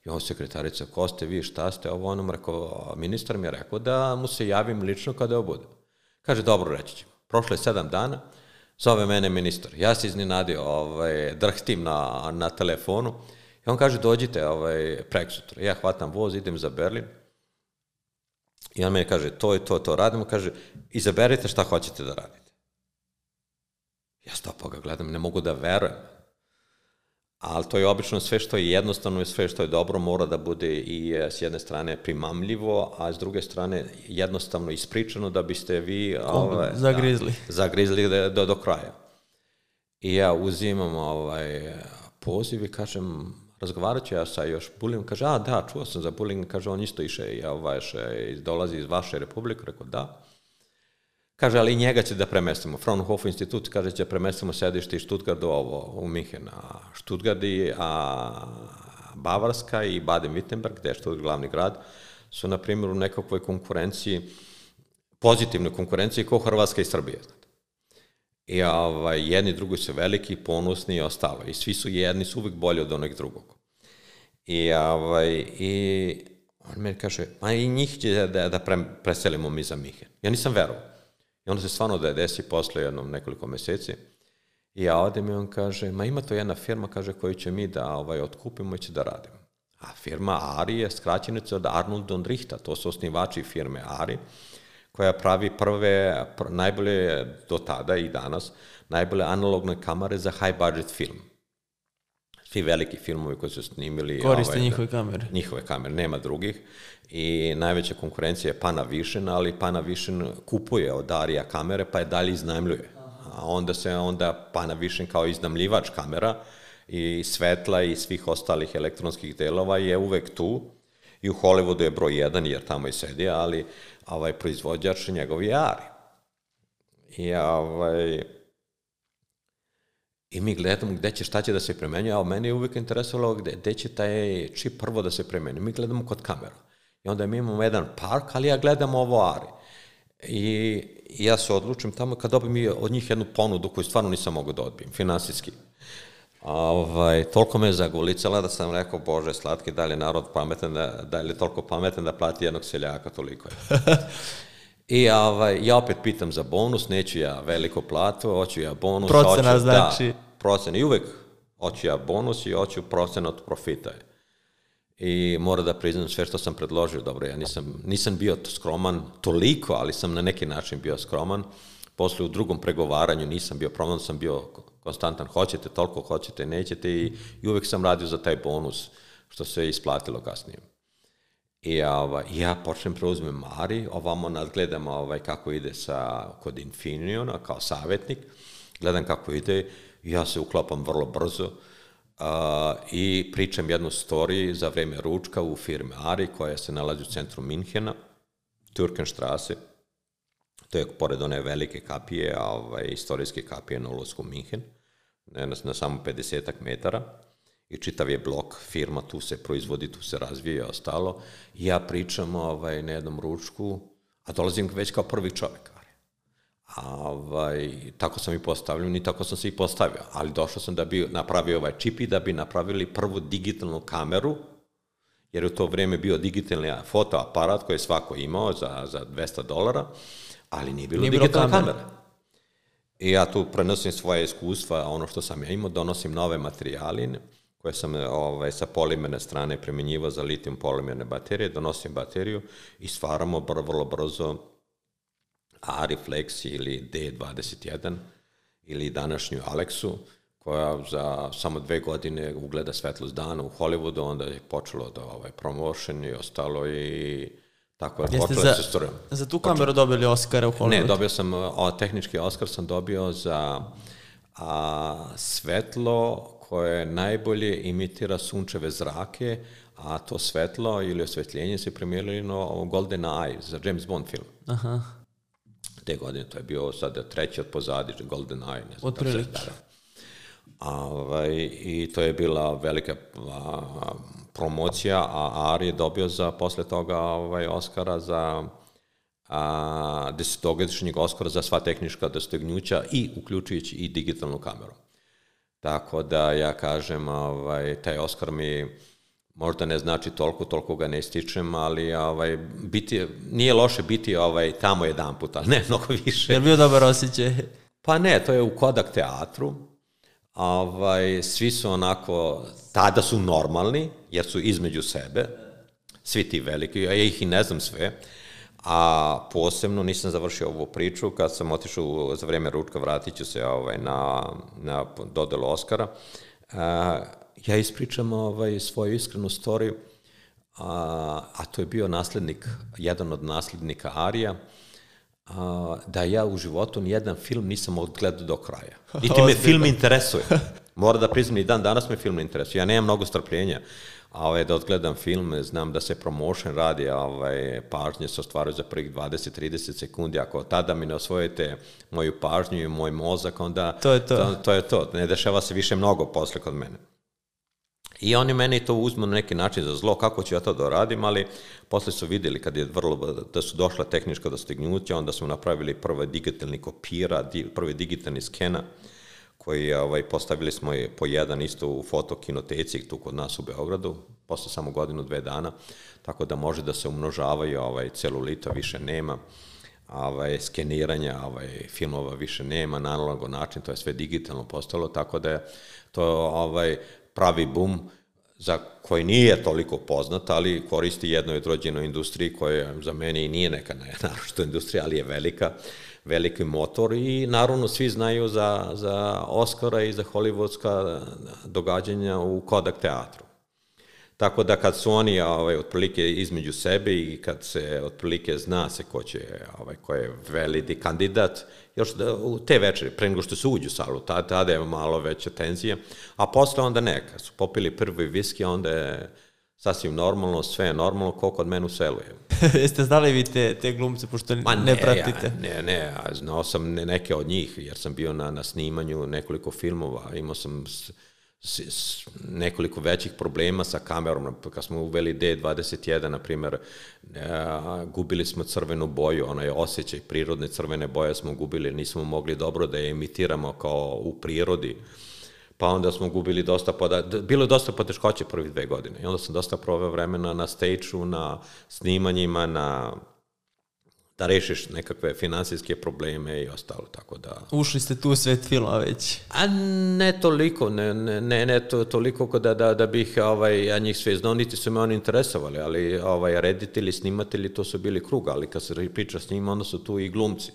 i on sekretarica, ko ste vi, šta ste, ovo onom rekao, ministar mi je rekao da mu se javim lično kada ovo bude. Kaže, dobro, reći ćemo. Prošlo je sedam dana, zove mene ministar, ja se iznenadio, ovaj, drhtim na, na telefonu, i on kaže, dođite ovaj, prek sutra. Ja hvatam voz, idem za Berlin. I on meni kaže, to je to, to radimo. Kaže, izaberite šta hoćete da radite. Ja stopo ga gledam, ne mogu da verujem. Ali to je obično sve što je jednostavno i sve što je dobro mora da bude i s jedne strane primamljivo, a s druge strane jednostavno ispričano da biste vi ovaj, zagrizli, da, zagrizli do, do, do kraja. I ja uzimam ovaj, poziv i kažem, razgovarat ću ja sa još Bullingom, kaže, a da, čuo sam za Bullinga, kaže, on isto iše, ja, vaš, dolazi iz vaše republike, rekao, da. Kaže, ali njega će da premestimo. Fraunhofer institut, kaže, će premestimo sedište iz Stuttgarta ovo, u Minhen. A Stuttgart i a Bavarska i Baden-Württemberg, gde je Stuttgart glavni grad, su, na primjer, u nekakvoj konkurenciji, pozitivnoj konkurenciji, kao Hrvatska i Srbija. I ovaj, jedni drugi su veliki, ponosni i ostalo. I svi su jedni, su uvijek bolji od onog drugog. I, ovaj, i on meni kaže, ma i njih će da, da pre, preselimo mi za Minhen. Ja nisam verovao. I onda se stvarno da je desi posle jednom nekoliko meseci. I ja odem i on kaže, ma ima to jedna firma, kaže, koju će mi da ovaj, otkupimo i će da radimo. A firma Ari je skraćenica od Arnold und Richter, to su osnivači firme Ari, koja pravi prve, pr, najbolje do tada i danas, najbolje analogne kamere za high budget film. Svi veliki filmovi koji su snimili... Koriste ovaj, njihove kamere. Njihove kamere, nema drugih. I najveća konkurencija je Panavision, ali Panavision kupuje od Arija kamere, pa je dalje iznajmljuje. A onda se onda Panavision kao iznajmljivač kamera i svetla i svih ostalih elektronskih delova je uvek tu. I u Hollywoodu je broj jedan, jer tamo i sedi, ali ovaj proizvođač njegov je Ari. I, ovaj, I mi gledamo gde će, šta će da se primenjuje, a meni je uvijek interesovalo gde, gde će taj čip prvo da se primenjuje. Mi gledamo kod kamera. I onda mi imamo jedan park, ali ja gledam ovo Ari. I ja se odlučim tamo kad dobijem od njih jednu ponudu koju stvarno nisam mogao da odbijem, finansijski. Ovaj, toliko me zagulicala da sam rekao, Bože, slatki, da li je narod pametan, da, da li je toliko pametan da plati jednog seljaka, toliko je. I ovaj, ja opet pitam za bonus, neću ja veliko platu, hoću ja bonus. Procena hoću, znači. Da, procena. I uvek hoću ja bonus i hoću procena od profita. I moram da priznam sve što sam predložio, dobro, ja nisam, nisam bio skroman toliko, ali sam na neki način bio skroman. Posle u drugom pregovaranju nisam bio proman, sam bio konstantan, hoćete toliko, hoćete, nećete i, i uvek sam radio za taj bonus, što se isplatilo kasnije. I ovaj, ja počnem preuzmem Mari, ovamo nadgledam ovaj, kako ide sa, kod Infiniona kao savjetnik, gledam kako ide, ja se uklapam vrlo brzo uh, i pričam jednu storiju za vreme ručka u firmi Ari, koja se nalazi u centru Minhena, Türkenstrasse. To je pored one velike kapije, ovaj, istorijske kapije na ulasku u Minhen, na, na samo pedesetak metara. I čitav je blok, firma, tu se proizvodi, tu se razvije i ostalo. I ja pričam ovaj, na jednom ručku, a dolazim već kao prvi čovjek. A, ovaj, tako sam i postavljen i tako sam se i postavio. Ali došao sam da bi napravio ovaj čip i da bi napravili prvu digitalnu kameru, jer u to vrijeme bio digitalni fotoaparat koji je svako imao za, za dvesta dolara, ali nije bilo, nije bilo digitalna kamera. kamera. I ja tu prenosim svoje iskustva, ono što sam ja imao, donosim nove materijaline, koje sam ovaj, sa polimerne strane primjenjivao za litijum polimerne baterije, donosim bateriju i stvaramo br vrlo brzo Ariflex ili D dvadeset jedan ili današnju Alexu, koja za samo dve godine ugleda svetlost dana u Hollywoodu, onda je počelo da ovaj, promotion i ostalo i tako je počelo da se stvorimo. Za tu kameru dobili Oscara u Hollywoodu? Ne, dobio sam, o, tehnički Oscar sam dobio za a, svetlo koje najbolje imitira sunčeve zrake, a to svetlo ili osvetljenje se premijerili na Golden Eye za James Bond film. Aha. Te godine, to je bio sad treći od pozadi, Golden Eye. Ne znam, otprilike. Ovaj, I to je bila velika a, promocija, a Ari je dobio za, posle toga ovaj, Oscara za a, desetogodišnjeg Oscara za sva tehnička dostignuća i uključujući i digitalnu kameru. Tako da ja kažem, ovaj, taj Oskar mi možda ne znači toliko, toliko ga ne stičem, ali ovaj, biti, nije loše biti ovaj, tamo jedan put, ali ne mnogo više. Je li bio dobar osjećaj? Pa ne, to je u Kodak teatru. Ovaj, svi su onako, tada su normalni, jer su između sebe, svi ti veliki, ja ih i ne znam sve, a posebno nisam završio ovu priču, kad sam otišao za vrijeme ručka, vratit ću se ovaj, na, na dodelu Oscara, a, ja ispričam ovaj, svoju iskrenu storiju, a, a to je bio naslednik, jedan od naslednika Arija, a, da ja u životu nijedan film nisam odgledao do kraja. I ti me film interesuje. Mora da priznam, i dan danas me film interesuje. Ja nemam mnogo strpljenja ovaj, da odgledam film, znam da se promotion radi, ovaj, pažnje se ostvaraju za prvih dvadeset do trideset sekundi. Ako tada mi ne osvojite moju pažnju i moj mozak, onda to je to. To, to je to. Ne dešava se više mnogo posle kod mene. I oni meni to uzmu na neki način za zlo, kako ću ja to da radim, ali posle su vidjeli kad je vrlo, da su došla tehnička dostignuća, onda smo napravili prve digitalni kopira, di, prvi digitalni skena, koji ovaj, postavili smo je po jedan isto u fotokinoteci tu kod nas u Beogradu, posle samo godinu, dve dana, tako da može da se umnožavaju, ovaj, celulita više nema, ovaj, skeniranja ovaj, filmova više nema, na analogan način, to je sve digitalno postalo, tako da je to ovaj, pravi bum za koji nije toliko poznat, ali koristi jednoj odrođenoj industriji koja za mene i nije neka naročita industrija, ali je velika, veliki motor i naravno svi znaju za, za Oscara i za hollywoodska događanja u Kodak teatru. Tako da kad su oni ovaj, otprilike između sebe i kad se otprilike zna se ko će, ovaj, ko je veliki kandidat, još da, u te večeri, pre nego što se uđu u salu, tada, tada je malo veća tenzija, a posle onda ne, kad su popili prvi viski, onda je sasvim normalno, sve je normalno, ko kod mene u selu je. Jeste znali vi te, te glumce, pošto ne, ne pratite? Ja, ne, ne, znao sam neke od njih, jer sam bio na, na snimanju nekoliko filmova, imao sam s, s, s, nekoliko većih problema sa kamerom, kad smo uveli D dvadeset jedan, na primjer, a, gubili smo crvenu boju, onaj osjećaj prirodne crvene boje smo gubili, nismo mogli dobro da je emitiramo kao u prirodi, pa onda smo gubili dosta, poda... bilo je dosta poteškoće prvih dve godine i onda sam dosta proveo vremena na stage-u, na snimanjima, na da rešiš nekakve finansijske probleme i ostalo, tako da... Ušli ste tu u svet filma već? A ne toliko, ne, ne, ne to, toliko da, da, da bih ovaj, ja njih sve znao, niti su me oni interesovali, ali ovaj, reditelji, snimatelji, to su bili krug, ali kad se priča s njima, onda su tu i glumci.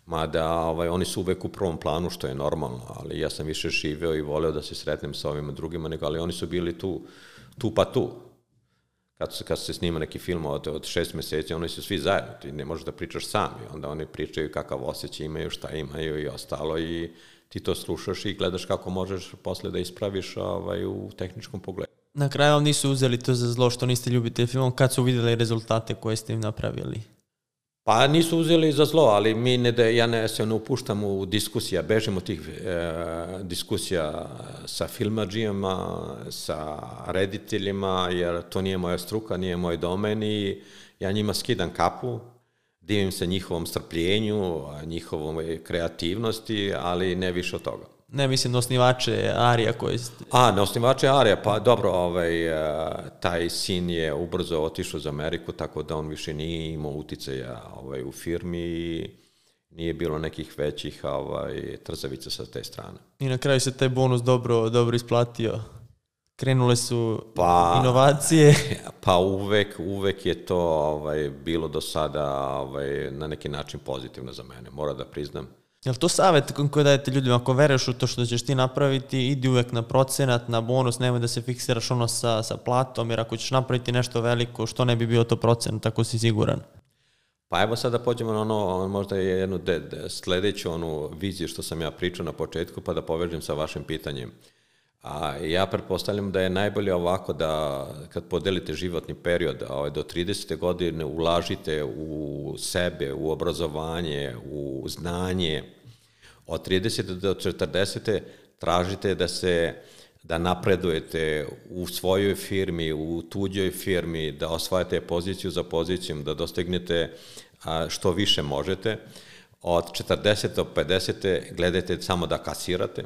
Mada ovaj, oni su uvek u prvom planu, što je normalno, ali ja sam više živeo i voleo da se sretnem sa ovima drugima, nego, ali oni su bili tu, tu pa tu. Kad se, kad se snima neki film od, od šest meseci, oni su svi zajedno, ti ne možeš da pričaš sam, i onda oni pričaju kakav osjećaj imaju, šta imaju i ostalo, i ti to slušaš i gledaš kako možeš posle da ispraviš ovaj, u tehničkom pogledu. Na kraju vam nisu uzeli to za zlo što niste ljubitelj filmom, kad su vidjeli rezultate koje ste im napravili? Pa nisu uzeli za zlo, ali mi ne da, ja ne se ne upuštam u diskusija, bežim od tih e, diskusija sa filmadžijama, sa rediteljima, jer to nije moja struka, nije moj domen i ja njima skidam kapu, divim se njihovom strpljenju, njihovom kreativnosti, ali ne više od toga. Ne, mislim na osnivače Arija koji ste... A, na osnivače Arija, pa dobro, ovaj, taj sin je ubrzo otišao za Ameriku, tako da on više nije imao uticaja ovaj, u firmi i nije bilo nekih većih ovaj, trzavica sa te strane. I na kraju se taj bonus dobro, dobro isplatio. Krenule su pa, inovacije. Pa uvek, uvek je to ovaj, bilo do sada ovaj, na neki način pozitivno za mene, moram da priznam. Je li to savjet koji dajete ljudima, ako veruješ u to što ćeš ti napraviti, idi uvek na procenat, na bonus, nemoj da se fiksiraš ono sa, sa platom, jer ako ćeš napraviti nešto veliko, što ne bi bio to procenat, tako si siguran? Pa evo sad da pođemo na ono, možda je jednu de, de, sledeću onu viziju što sam ja pričao na početku, pa da povežem sa vašim pitanjem. A ja pretpostavljam da je najbolje ovako da kad podelite životni period, ovaj, do tridesete godine ulažite u sebe, u obrazovanje, u znanje. Od tridesete do četrdesete tražite da se da napredujete u svojoj firmi, u tuđoj firmi, da osvajate poziciju za pozicijom, da dostignete a, što više možete. Od četrdesete do pedesete gledajte samo da kasirate.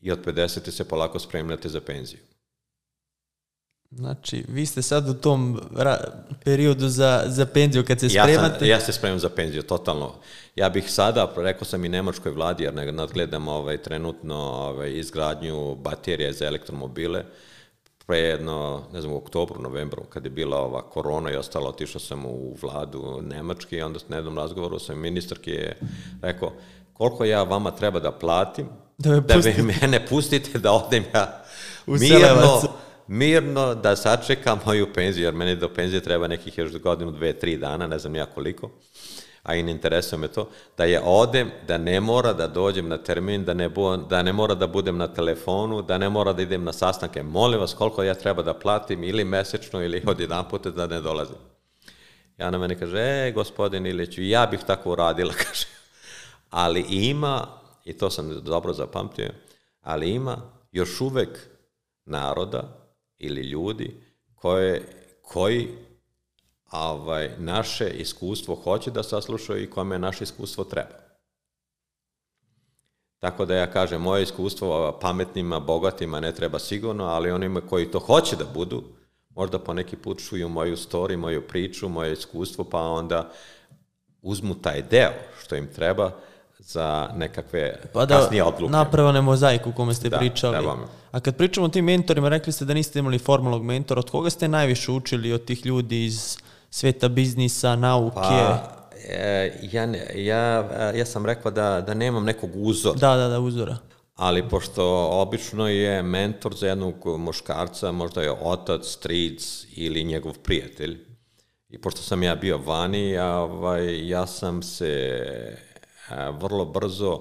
I od pedesete se polako spremljate za penziju. Znači, vi ste sad u tom periodu za, za penziju kad se spremate? Ja, sam, ja se spremam za penziju, totalno. Ja bih sada, rekao sam i nemačkoj vladi, jer nadgledam ovaj, trenutno ovaj, izgradnju baterije za elektromobile. Pre jedno, ne znam, u oktobru, novembru, kad je bila ova korona i ostalo, otišao sam u vladu Nemačke i onda na jednom razgovoru sam ministarki je rekao koliko ja vama treba da platim, da, me da vi mene pustite da odem ja mirno, mirno da sačekam moju penziju, jer meni do penzije treba nekih još godinu, dve, tri dana, ne znam ja koliko, a i ne interesuje me to, da je odem, da ne mora da dođem na termin, da ne, bu, da ne mora da budem na telefonu, da ne mora da idem na sastanke. Molim vas koliko ja treba da platim ili mesečno ili od jedan puta da ne dolazim. Ja na mene kaže, e, gospodin Iliću, ja bih tako uradila, kaže. Ali ima, i to sam dobro zapamtio, ali ima još uvek naroda ili ljudi koje, koji ovaj, naše iskustvo hoće da saslušaju i kome naše iskustvo treba. Tako da ja kažem, moje iskustvo pametnima, bogatima ne treba sigurno, ali onima koji to hoće da budu, možda po neki put čuju moju story, moju priču, moje iskustvo, pa onda uzmu taj deo što im treba za nekakve pa da, kasnije odluke. Pa da napravane mozaiku u kome ste da, pričali. A kad pričamo o tim mentorima, rekli ste da niste imali formalnog mentora, od koga ste najviše učili od tih ljudi iz sveta biznisa, nauke? Pa, ja, ja, ja sam rekao da, da nemam nekog uzora. Da, da, da, uzora. Ali pošto obično je mentor za jednog muškarca, možda je otac, stric ili njegov prijatelj. I pošto sam ja bio vani, ja, ovaj, ja sam se vrlo brzo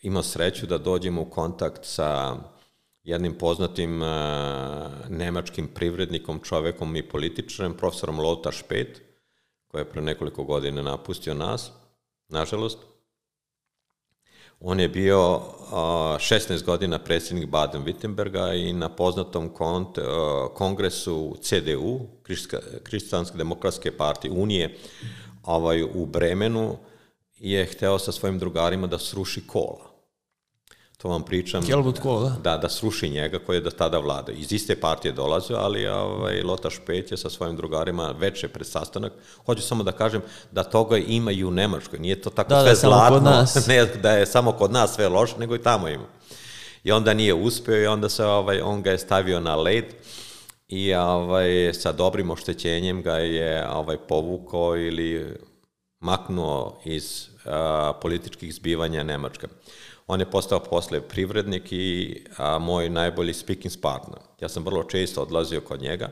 imao sreću da dođem u kontakt sa jednim poznatim uh, nemačkim privrednikom, čovekom i političarem, profesorom Lothar Späth, koji je pre nekoliko godina napustio nas, nažalost. On je bio uh, šesnaest godina predsjednik Baden-Württemberga i na poznatom kont, uh, kongresu C D U, Kršćanske demokratske partije Unije, ovaj, u Bremenu, je hteo sa svojim drugarima da sruši Kohla. To vam pričam. Helmut Kohl, da? Da, da sruši njega koji je do tada vladao. Iz iste partije dolazio, ali ovaj, Lothar Späth je sa svojim drugarima veče pred sastanak. Hoću samo da kažem da toga ima i u Nemačkoj. Nije to tako da, sve da, zlatno, ne da je samo kod nas sve loše, nego i tamo ima. I onda nije uspeo i onda se, ovaj, on ga je stavio na led i ovaj, sa dobrim oštećenjem ga je ovaj, povukao ili maknuo iz a, političkih zbivanja Nemačke. On je postao posle privrednik i a, moj najbolji speaking partner. Ja sam vrlo često odlazio kod njega.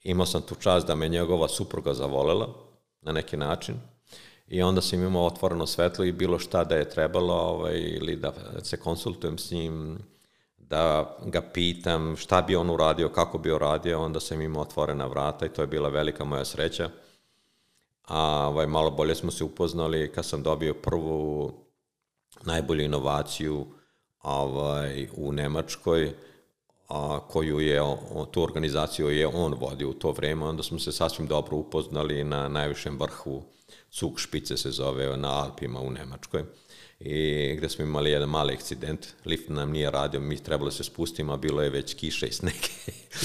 Imao sam tu čast da me njegova supruga zavolela na neki način. I onda sam imao otvoreno svetlo i bilo šta da je trebalo ovaj, ili da se konsultujem s njim, da ga pitam šta bi on uradio, kako bi uradio. Onda sam imao otvorena vrata i to je bila velika moja sreća. A ovaj, malo bolje smo se upoznali kad sam dobio prvu najbolju inovaciju ovaj, u Nemačkoj, a, koju je, o, tu organizaciju je on vodio u to vreme, onda smo se sasvim dobro upoznali na najvišem vrhu, Zugspitze se zove, na Alpima u Nemačkoj, i gde smo imali jedan mali akcident, lift nam nije radio, mi trebalo se spustimo, a bilo je već kiša i sneg.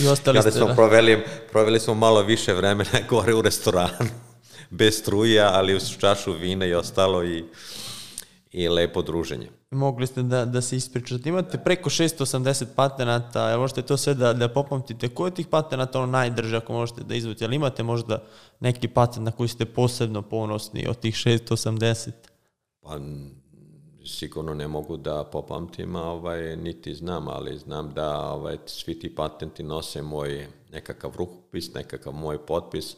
I ostali Kada ste, smo da? Proveli, proveli smo malo više vremena gore u restoranu, bez struja, ali uz čašu vina i ostalo i i lepo druženje. Mogli ste da, da se ispričate. Imate preko šesto osamdeset patenata, jel možete to sve da, da popamtite? Koji od tih patenata ono najdrže ako možete da izvuti? Ali imate možda neki patent na koji ste posebno ponosni od tih šesto osamdeset? Pa sigurno ne mogu da popamtim, ovaj, niti znam, ali znam da ovaj, svi ti patenti nose moj nekakav rukopis, nekakav moj potpis,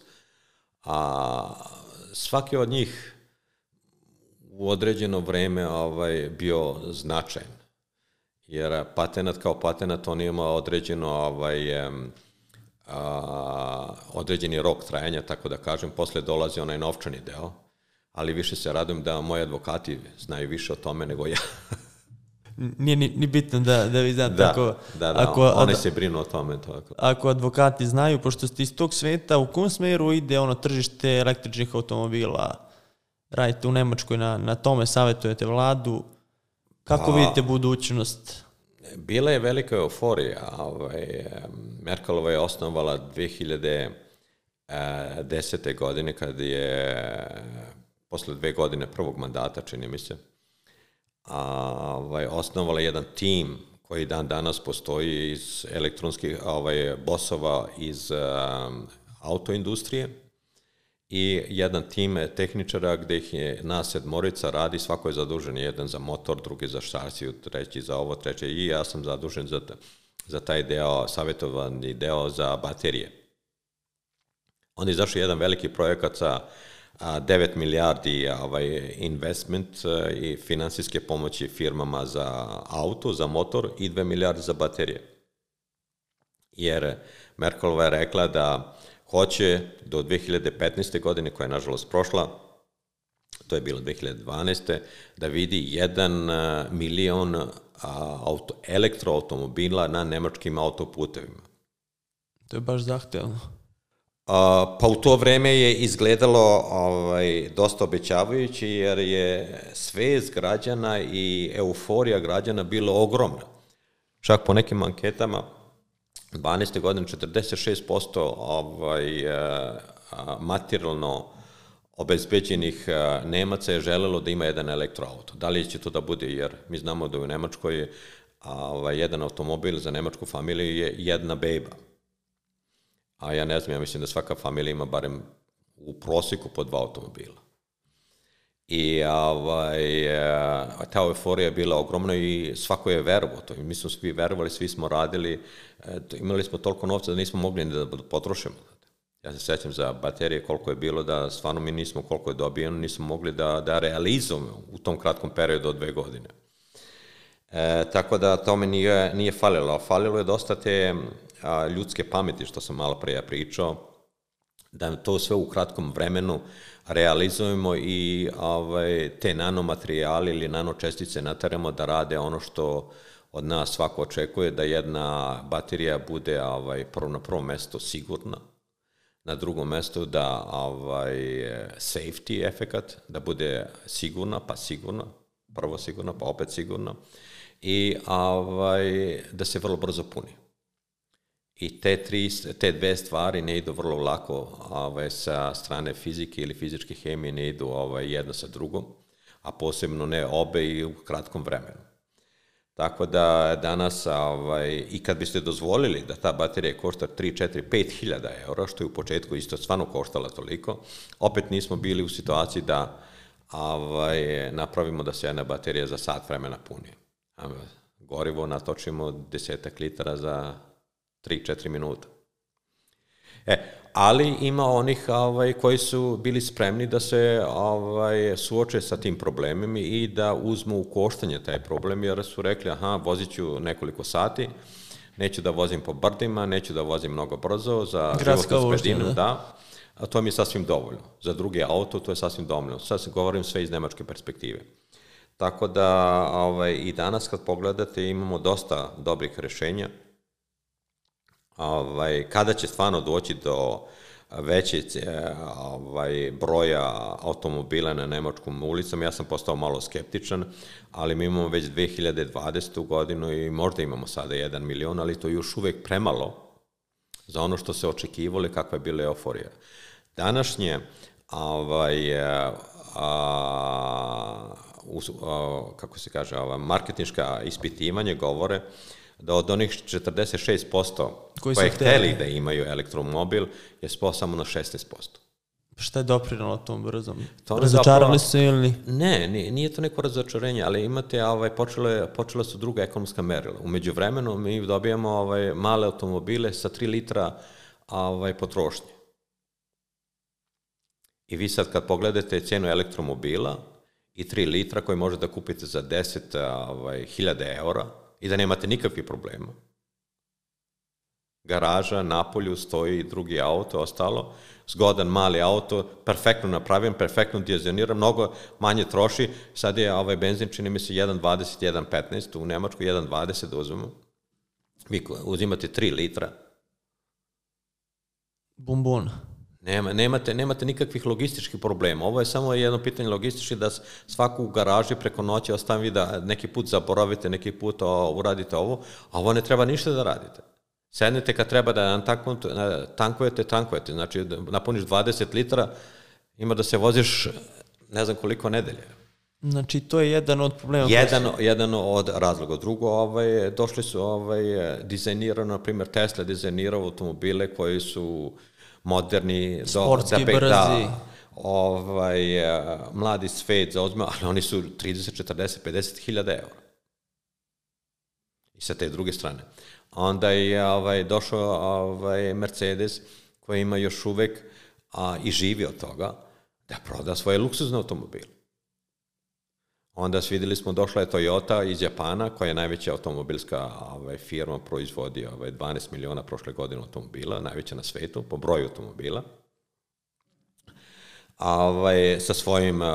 a svaki od njih u određeno vreme ovaj, bio značajan. Jer patenat kao patenat, on ima određeno, ovaj, a, određeni rok trajanja, tako da kažem, posle dolazi onaj novčani deo, ali više se radujem da moji advokati znaju više o tome nego ja. Nije ni, ni bitno da, da vi znate. Da, ako, da, da, ako, oni ad, se brinu o tome. Tako. Ako advokati znaju, pošto ste iz tog sveta, u kom smeru ide ono tržište električnih automobila? Radite u Nemačkoj, na, na tome savjetujete vladu. Kako pa, vidite budućnost? Bila je velika euforija. Ovaj, Merkelova je osnovala dve hiljade desete. godine, kad je posle dve godine prvog mandata, čini mi se, a, ovaj, osnovala jedan tim koji dan danas postoji iz elektronskih ovaj, bosova iz um, autoindustrije, i jedan tim tehničara gde ih je nas sedmorica radi, svako je zadužen, jedan za motor, drugi za šasiju, treći za ovo, treći, i ja sam zadužen za, za taj deo, savjetovani deo za baterije. Onda je izašao jedan veliki projekat sa a, devet milijardi ovaj, investment a, i finansijske pomoći firmama za auto, za motor, i dve milijarde za baterije. Jer Merkelova je rekla da hoće do dve hiljade petnaeste. godine, koja je nažalost prošla, to je bilo dve hiljade dvanaeste. da vidi jedan milion auto, elektroautomobila na nemačkim autoputevima. To je baš zahtevno. A, pa u to vreme je izgledalo ovaj, dosta obećavajući, jer je svest građana i euforija građana bilo ogromna. Čak po nekim anketama dvanaeste. godine četrdeset šest posto ovaj, materijalno obezbeđenih Nemaca je želelo da ima jedan elektroauto. Da li će to da bude, jer mi znamo da u Nemačkoj ovaj, jedan automobil za nemačku familiju je jedna beba. A ja ne znam, ja mislim da svaka familija ima barem u prosjeku po dva automobila. I ovaj, ta euforija je bila ogromna i svako je verovao to. Mi smo svi verovali, svi smo radili, imali smo toliko novca da nismo mogli da potrošimo. Ja se sećam za baterije koliko je bilo, da stvarno mi nismo, koliko je dobijeno, nismo mogli da, da realizujemo u tom kratkom periodu od dve godine. E, tako da tome nije, nije falilo. Falilo je dosta te a, ljudske pameti, što sam malo prije pričao, da to sve u kratkom vremenu realizujemo i ovaj, te nanomaterijali ili nanočestice nateramo da rade ono što od nas svako očekuje, da jedna baterija bude ovaj, prvo na prvom mestu sigurna, na drugom mestu da ovaj, safety efekat, da bude sigurna, pa sigurna, prvo sigurna, pa opet sigurna, i ovaj, da se vrlo brzo puni. I te, tri, te dve stvari ne idu vrlo lako ovaj, sa strane fizike ili fizičke hemije, ne idu ovaj, jedno sa drugom, a posebno ne obe i u kratkom vremenu. Tako da danas, ovaj, i kad biste dozvolili da ta baterija košta tri, četiri, pet hiljada eura, što je u početku isto stvarno koštala toliko, opet nismo bili u situaciji da ovaj, napravimo da se jedna baterija za sat vremena puni. Gorivo natočimo desetak litara za tri četiri minuta. E, ali ima onih ovaj, koji su bili spremni da se ovaj, suoče sa tim problemima i da uzmu u koštanje taj problem, jer su rekli, aha, vozit ću nekoliko sati, neću da vozim po brdima, neću da vozim mnogo brzo, za životnu sredinu, da, a to mi je sasvim dovoljno. Za drugi auto to je sasvim dovoljno. Sad se govorim sve iz nemačke perspektive. Tako da ovaj, i danas kad pogledate imamo dosta dobrih rešenja. Ovaj, kada će stvarno doći do veće ovaj, broja automobila na nemačkom ulicama, ja sam postao malo skeptičan, ali mi imamo već dve hiljade dvadesete. godinu i možda imamo sada jedan milion, ali to je još uvek premalo za ono što se očekivalo i kakva je bila euforija. Današnje ovaj, a, a, kako se kaže, ova, marketinška ispitivanje govore da od onih četrdeset šest posto koji koje hteli da imaju elektromobil je spao samo na šesnaest posto. Šta je doprinalo tom brzom? Razočarali su ili? Ne, nije, nije to neko razočarenje, ali imate, ovaj, počele, počela su druga ekonomska merila. U međuvremenu mi dobijamo ovaj, male automobile sa tri litra ovaj, potrošnje. I vi sad kad pogledate cenu elektromobila i tri litra koje možete da kupite za deset ovaj, hiljada eura, i da nemate nikakvih problema. Garaža, napolju stoji drugi auto, ostalo, zgodan mali auto, perfektno napravljen, perfektno dizajniran, mnogo manje troši, sad je ovaj benzin, čini mi se jedan dvadeset, jedan petnaest, u Nemačku jedan dvadeset da uzmemo. Vi uzimate tri litra. Bombon. Nema, nemate, nemate nikakvih logističkih problema. Ovo je samo jedno pitanje logistički da svaku u garaži preko noći ostavi da neki put zaboravite, neki put o, uradite ovo, a ovo ne treba ništa da radite. Sednete kad treba da tankujete, tankujete. Znači, napuniš dvadeset litara, ima da se voziš ne znam koliko nedelje. Znači, to je jedan od problema. Jedan, jedan od razloga. Drugo, ovaj, došli su ovaj, dizajnirano, na primjer, Tesla dizajnirao automobile koji su moderni, sportski, da, brzi. Da, ovaj, mladi svet zauzme, ali oni su trideset, četrdeset, pedeset hiljada eura. I sa te druge strane. Onda je ovaj, došao ovaj, Mercedes koji ima još uvek a, i živi od toga da proda svoje luksuzne automobile. Onda vidjeli smo, došla je Toyota iz Japana, koja je najveća automobilska ovaj, firma, proizvodi ovaj, dvanaest miliona prošle godine automobila, najveća na svetu, po broju automobila. A, ovaj, sa svojim uh,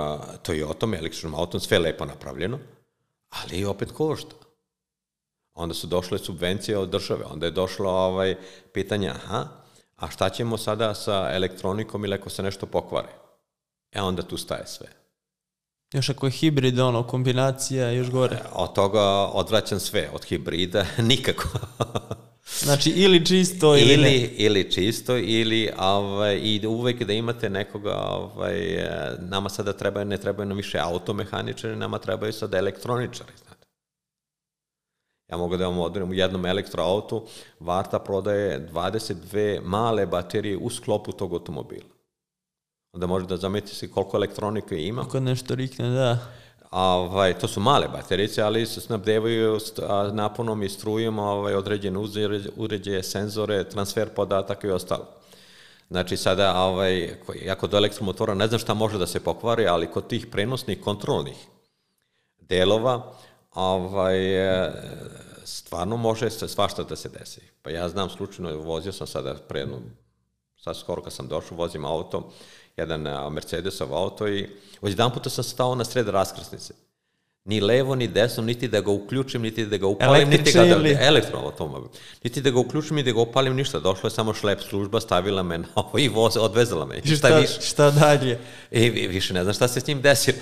Toyotom, električnom autom, sve lepo napravljeno, ali opet košta. Onda su došle subvencije od države, onda je došlo ovaj, pitanje, aha, a šta ćemo sada sa elektronikom ili ako se nešto pokvari? E onda tu staje sve. Još ako je hibrid, ono, kombinacija, još gore. Od toga odvraćam sve, od hibrida nikako. Znači, ili čisto, ili, ili ne. Ili čisto, ili ovaj, i uvek da imate nekoga, ovaj, nama sada treba, ne trebaju nam više automehaničari, nama trebaju sada elektroničari, znate. Ja mogu da vam odredim u jednom elektroautu, Varta prodaje dvadeset dve male baterije u sklopu tog automobila. Onda možete da zamislite se koliko elektronike ima. Ako nešto rikne, da. Ovaj, to su male baterice, ali se snabdevaju naponom i strujom ovaj, određene uređaje, senzore, transfer podataka i ostalo. Znači sada, ovaj, ako do elektromotora ne znam šta može da se pokvari, ali kod tih prenosnih kontrolnih delova, ovaj, stvarno može svašta da se desi. Pa ja znam slučajno, vozio sam sada predno, sad skoro kad sam došao, vozim auto, jedan Mercedesov auto i jedan puta sam stao na sred raskrsnice. Ni levo, ni desno, niti da ga uključim, niti da ga upalim, niti ga da... Elektroautomobil. Niti da ga uključim, niti da ga upalim, ništa. Došla je samo šlep služba, stavila me na ovo i voz, odvezala me. I šta, šta, šta dalje? I više ne znam šta se s njim desilo.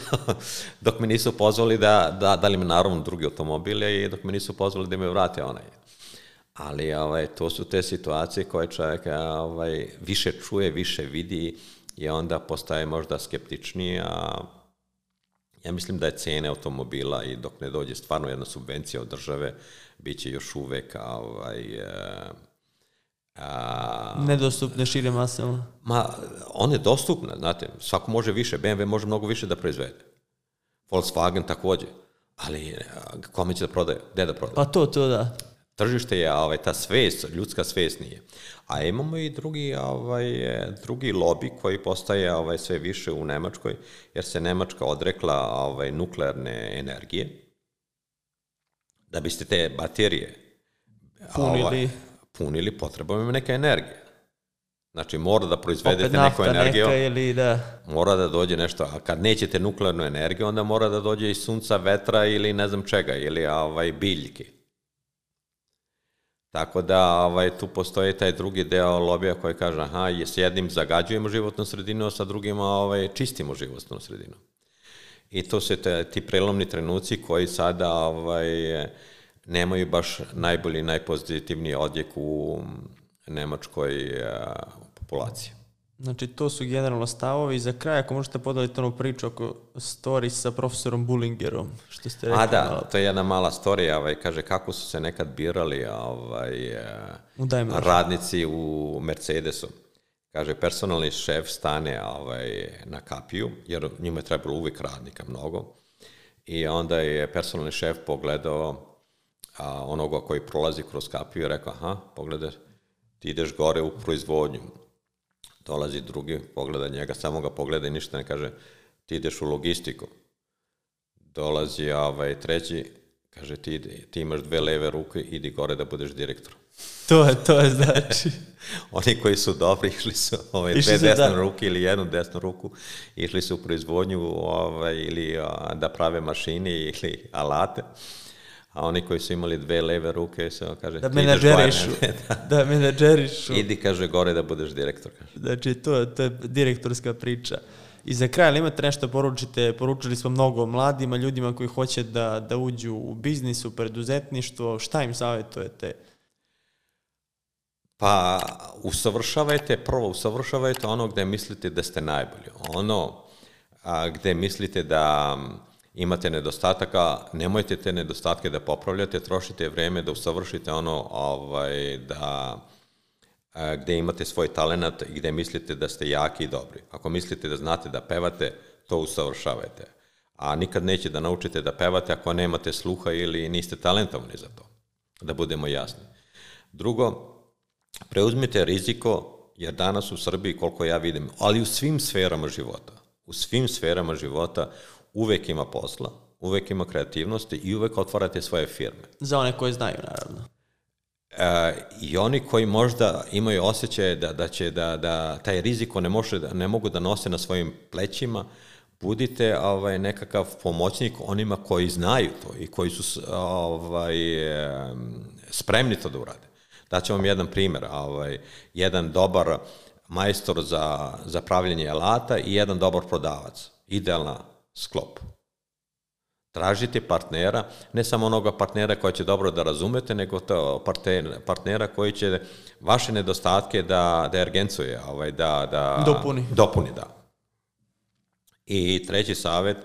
Dok me nisu pozvali da, da, da li me naravno drugi automobile i dok me nisu pozvali da me vrate onaj. Ali ovaj, to su te situacije koje čovjek ovaj, više čuje, više vidi i onda postaje možda skeptičniji, a ja mislim da je cene automobila i dok ne dođe stvarno jedna subvencija od države, bit će još uvek ovaj, a, nedostupne šire masama. Ma, on je dostupna, znate, svako može više, be em ve može mnogo više da proizvede. Volkswagen takođe, ali kome će da prodaje, gde da prodaje? Pa to, to da. Tržište je, ovaj, ta svest, ljudska svest nije. A imamo i drugi, ovaj, drugi lobby koji postaje ovaj, sve više u Nemačkoj, jer se Nemačka odrekla ovaj, nuklearne energije. Da biste te baterije punili, ovaj, punili potrebujemo neke energije. Znači, mora da proizvedete neku energiju. Opet nafta neka ili da... Mora da dođe nešto, a kad nećete nuklearnu energiju, onda mora da dođe iz sunca, vetra ili ne znam čega, ili ovaj, biljke. Tako da ovaj, tu postoji taj drugi deo lobija koji kaže, aha, s jednim zagađujemo životnu sredinu, a sa drugima ovaj, čistimo životnu sredinu. I to su te, ti prelomni trenuci koji sada ovaj, nemaju baš najbolji, najpozitivniji odjek u nemačkoj a, populaciji. Znači, to su generalno stavovi. I za kraj, ako možete podeliti onu priču oko story sa profesorom Bullingerom, što ste rekli. A da, malo. To je jedna mala storija, ovaj, kaže kako su se nekad birali ovaj, radnici u Mercedesu. Kaže, personalni šef stane ovaj, na kapiju, jer njima je trebalo uvijek radnika mnogo. I onda je personalni šef pogledao a, onoga koji prolazi kroz kapiju i rekao, aha, pogledaj, ti ideš gore u proizvodnju. Dolazi drugi, pogleda njega, samo ga pogleda i ništa ne kaže, ti ideš u logistiku. Dolazi ovaj, treći, kaže, ti, ti imaš dve leve ruke, idi gore da budeš direktor. To je, to je znači. Oni koji su dobri, išli su ovaj, dve desne ruke ili jednu desnu ruku, išli su u proizvodnju ovaj, ili a, da prave mašine ili alate. A oni koji su imali dve leve ruke, se kaže... Da menadžerišu. Da, da menadžerišu. Idi, kaže, gore da budeš direktor. Kaže. Znači, to, to je direktorska priča. I za kraj, ali imate nešto poručite? Poručili smo mnogo mladima, ljudima koji hoće da, da uđu u biznis, u preduzetništvo. Šta im savjetujete? Pa, usavršavajte, prvo usavršavajte ono gde mislite da ste najbolji. Ono a, gde mislite da... imate nedostataka, nemojte te nedostatke da popravljate, trošite vreme da usavršite ono ovaj, da, a, gde imate svoj talenat i gde mislite da ste jaki i dobri. Ako mislite da znate da pevate, to usavršavajte. A nikad neće da naučite da pevate ako nemate sluha ili niste talentovani za to, da budemo jasni. Drugo, preuzmite riziko, jer danas u Srbiji, koliko ja vidim, ali u svim sferama života, u svim sferama života uvek ima posla, uvek ima kreativnosti i uvek otvarate svoje firme. Za one koje znaju, naravno. E, I oni koji možda imaju osjećaje da, da, će, da, da taj riziko ne, može, ne mogu da nose na svojim plećima, budite ovaj, nekakav pomoćnik onima koji znaju to i koji su ovaj, spremni to da urade. Daću vam jedan primjer. Ovaj, jedan dobar majstor za, za pravljenje alata i jedan dobar prodavac. Idealna sklop. Tražite partnera, ne samo onoga partnera koji će dobro da razumete, nego to partnera koji će vaše nedostatke da, da ergencuje, ovaj, da, da dopuni. dopuni da. I treći savjet,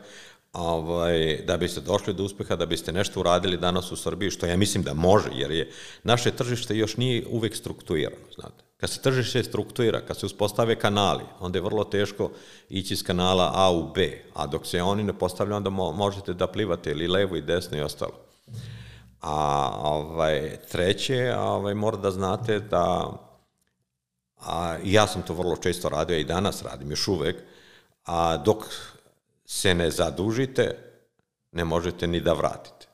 ovaj, da biste došli do uspeha, da biste nešto uradili danas u Srbiji, što ja mislim da može, jer je naše tržište još nije uvek strukturirano, znate. Kad se tržište strukturira, kad se uspostave kanali, onda je vrlo teško ići iz kanala A u B, a dok se oni ne postavljaju, onda možete da plivate ili levo i desno i ostalo. A ovaj, treće, ovaj, mora da znate da, a, ja sam to vrlo često radio i danas radim, još uvek, a dok se ne zadužite, ne možete ni da vratite.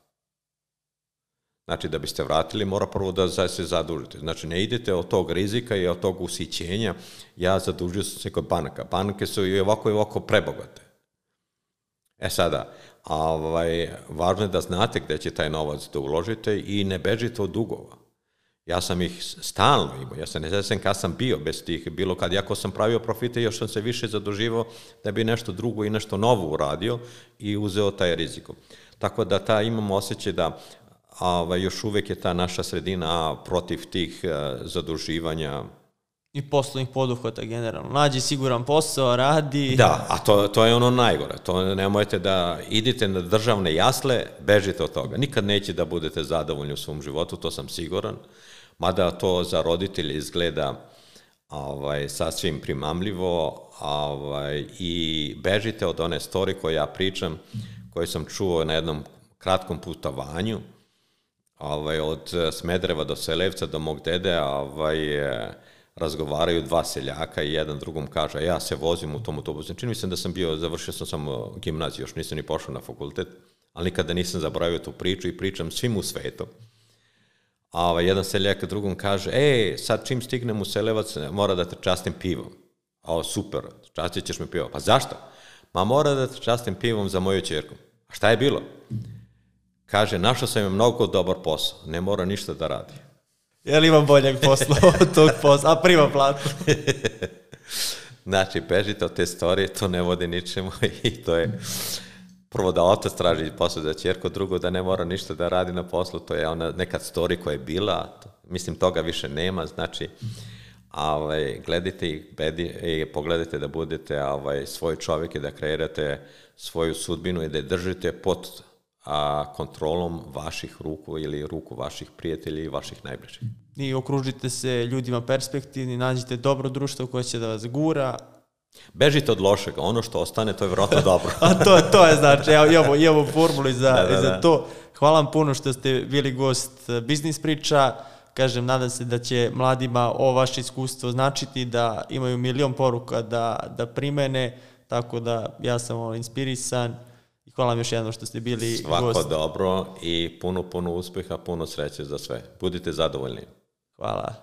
Znači, da biste vratili, mora prvo da se zadužite. Znači, ne idete od tog rizika i od tog usićenja. Ja zadužio sam se kod banaka. Banke su i ovako i ovako prebogate. E sada, ovaj, važno je da znate gde će taj novac da uložite i ne bežite od dugova. Ja sam ih stalno imao, ja se ne znam kad sam bio bez tih, bilo kad, jako sam pravio profite, još sam se više zaduživao da bi nešto drugo i nešto novo uradio i uzeo taj rizik. Tako da ta, imamo osjećaj da a, još uvek je ta naša sredina protiv tih a, zaduživanja. I poslovnih poduhvata generalno. Nađi siguran posao, radi. Da, a to, to je ono najgore. To nemojte da idite na državne jasle, bežite od toga. Nikad neće da budete zadovoljni u svom životu, to sam siguran. Mada to za roditelje izgleda ovaj, sasvim primamljivo ovaj, i bežite od one story koje ja pričam, koje sam čuo na jednom kratkom putovanju ovaj, od Smedereva do Selevca do mog dede, ovaj, razgovaraju dva seljaka i jedan drugom kaže, ja se vozim u tom autobusu. Čini mi se da sam bio, završio sam samo gimnaziju, još nisam ni pošao na fakultet, ali nikada nisam zaboravio tu priču i pričam svim u svetu. A ovaj, jedan seljak drugom kaže, e, sad čim stignem u Selevac, mora da te častim pivom. O, super, častit ćeš me pivom. Pa zašto? Ma mora da te častim pivom za moju ćerku. A šta je bilo? Kaže, našao sam je mnogo dobar posao, ne mora ništa da radi. Je li imam boljeg posla od tog posla, a prima platu? Znači, bežite od te storije, to ne vodi ničemu i to je prvo da otac traži posao za ćerku, drugo da ne mora ništa da radi na poslu, to je ona nekad story koja je bila, mislim toga više nema, znači ovaj, gledajte i, bedi, i pogledajte da budete ovaj, svoj čovjek i da kreirate svoju sudbinu i da je držite pod a, kontrolom vaših ruku ili ruku vaših prijatelja i vaših najbližih. I okružite se ljudima perspektivni, nađite dobro društvo koje će da vas gura. Bežite od lošega, ono što ostane, to je vjerojatno dobro. A to, to je znači, ja imamo, imamo formulu za, da, da, za da. to. Hvala vam puno što ste bili gost Biznis priča. Kažem, nadam se da će mladima ovo vaše iskustvo značiti, da imaju milion poruka da, da primene, tako da ja sam ovo inspirisan. I hvala vam još jednom što ste bili Svako gost. Svako dobro i puno, puno uspeha, puno sreće za sve. Budite zadovoljni. Hvala.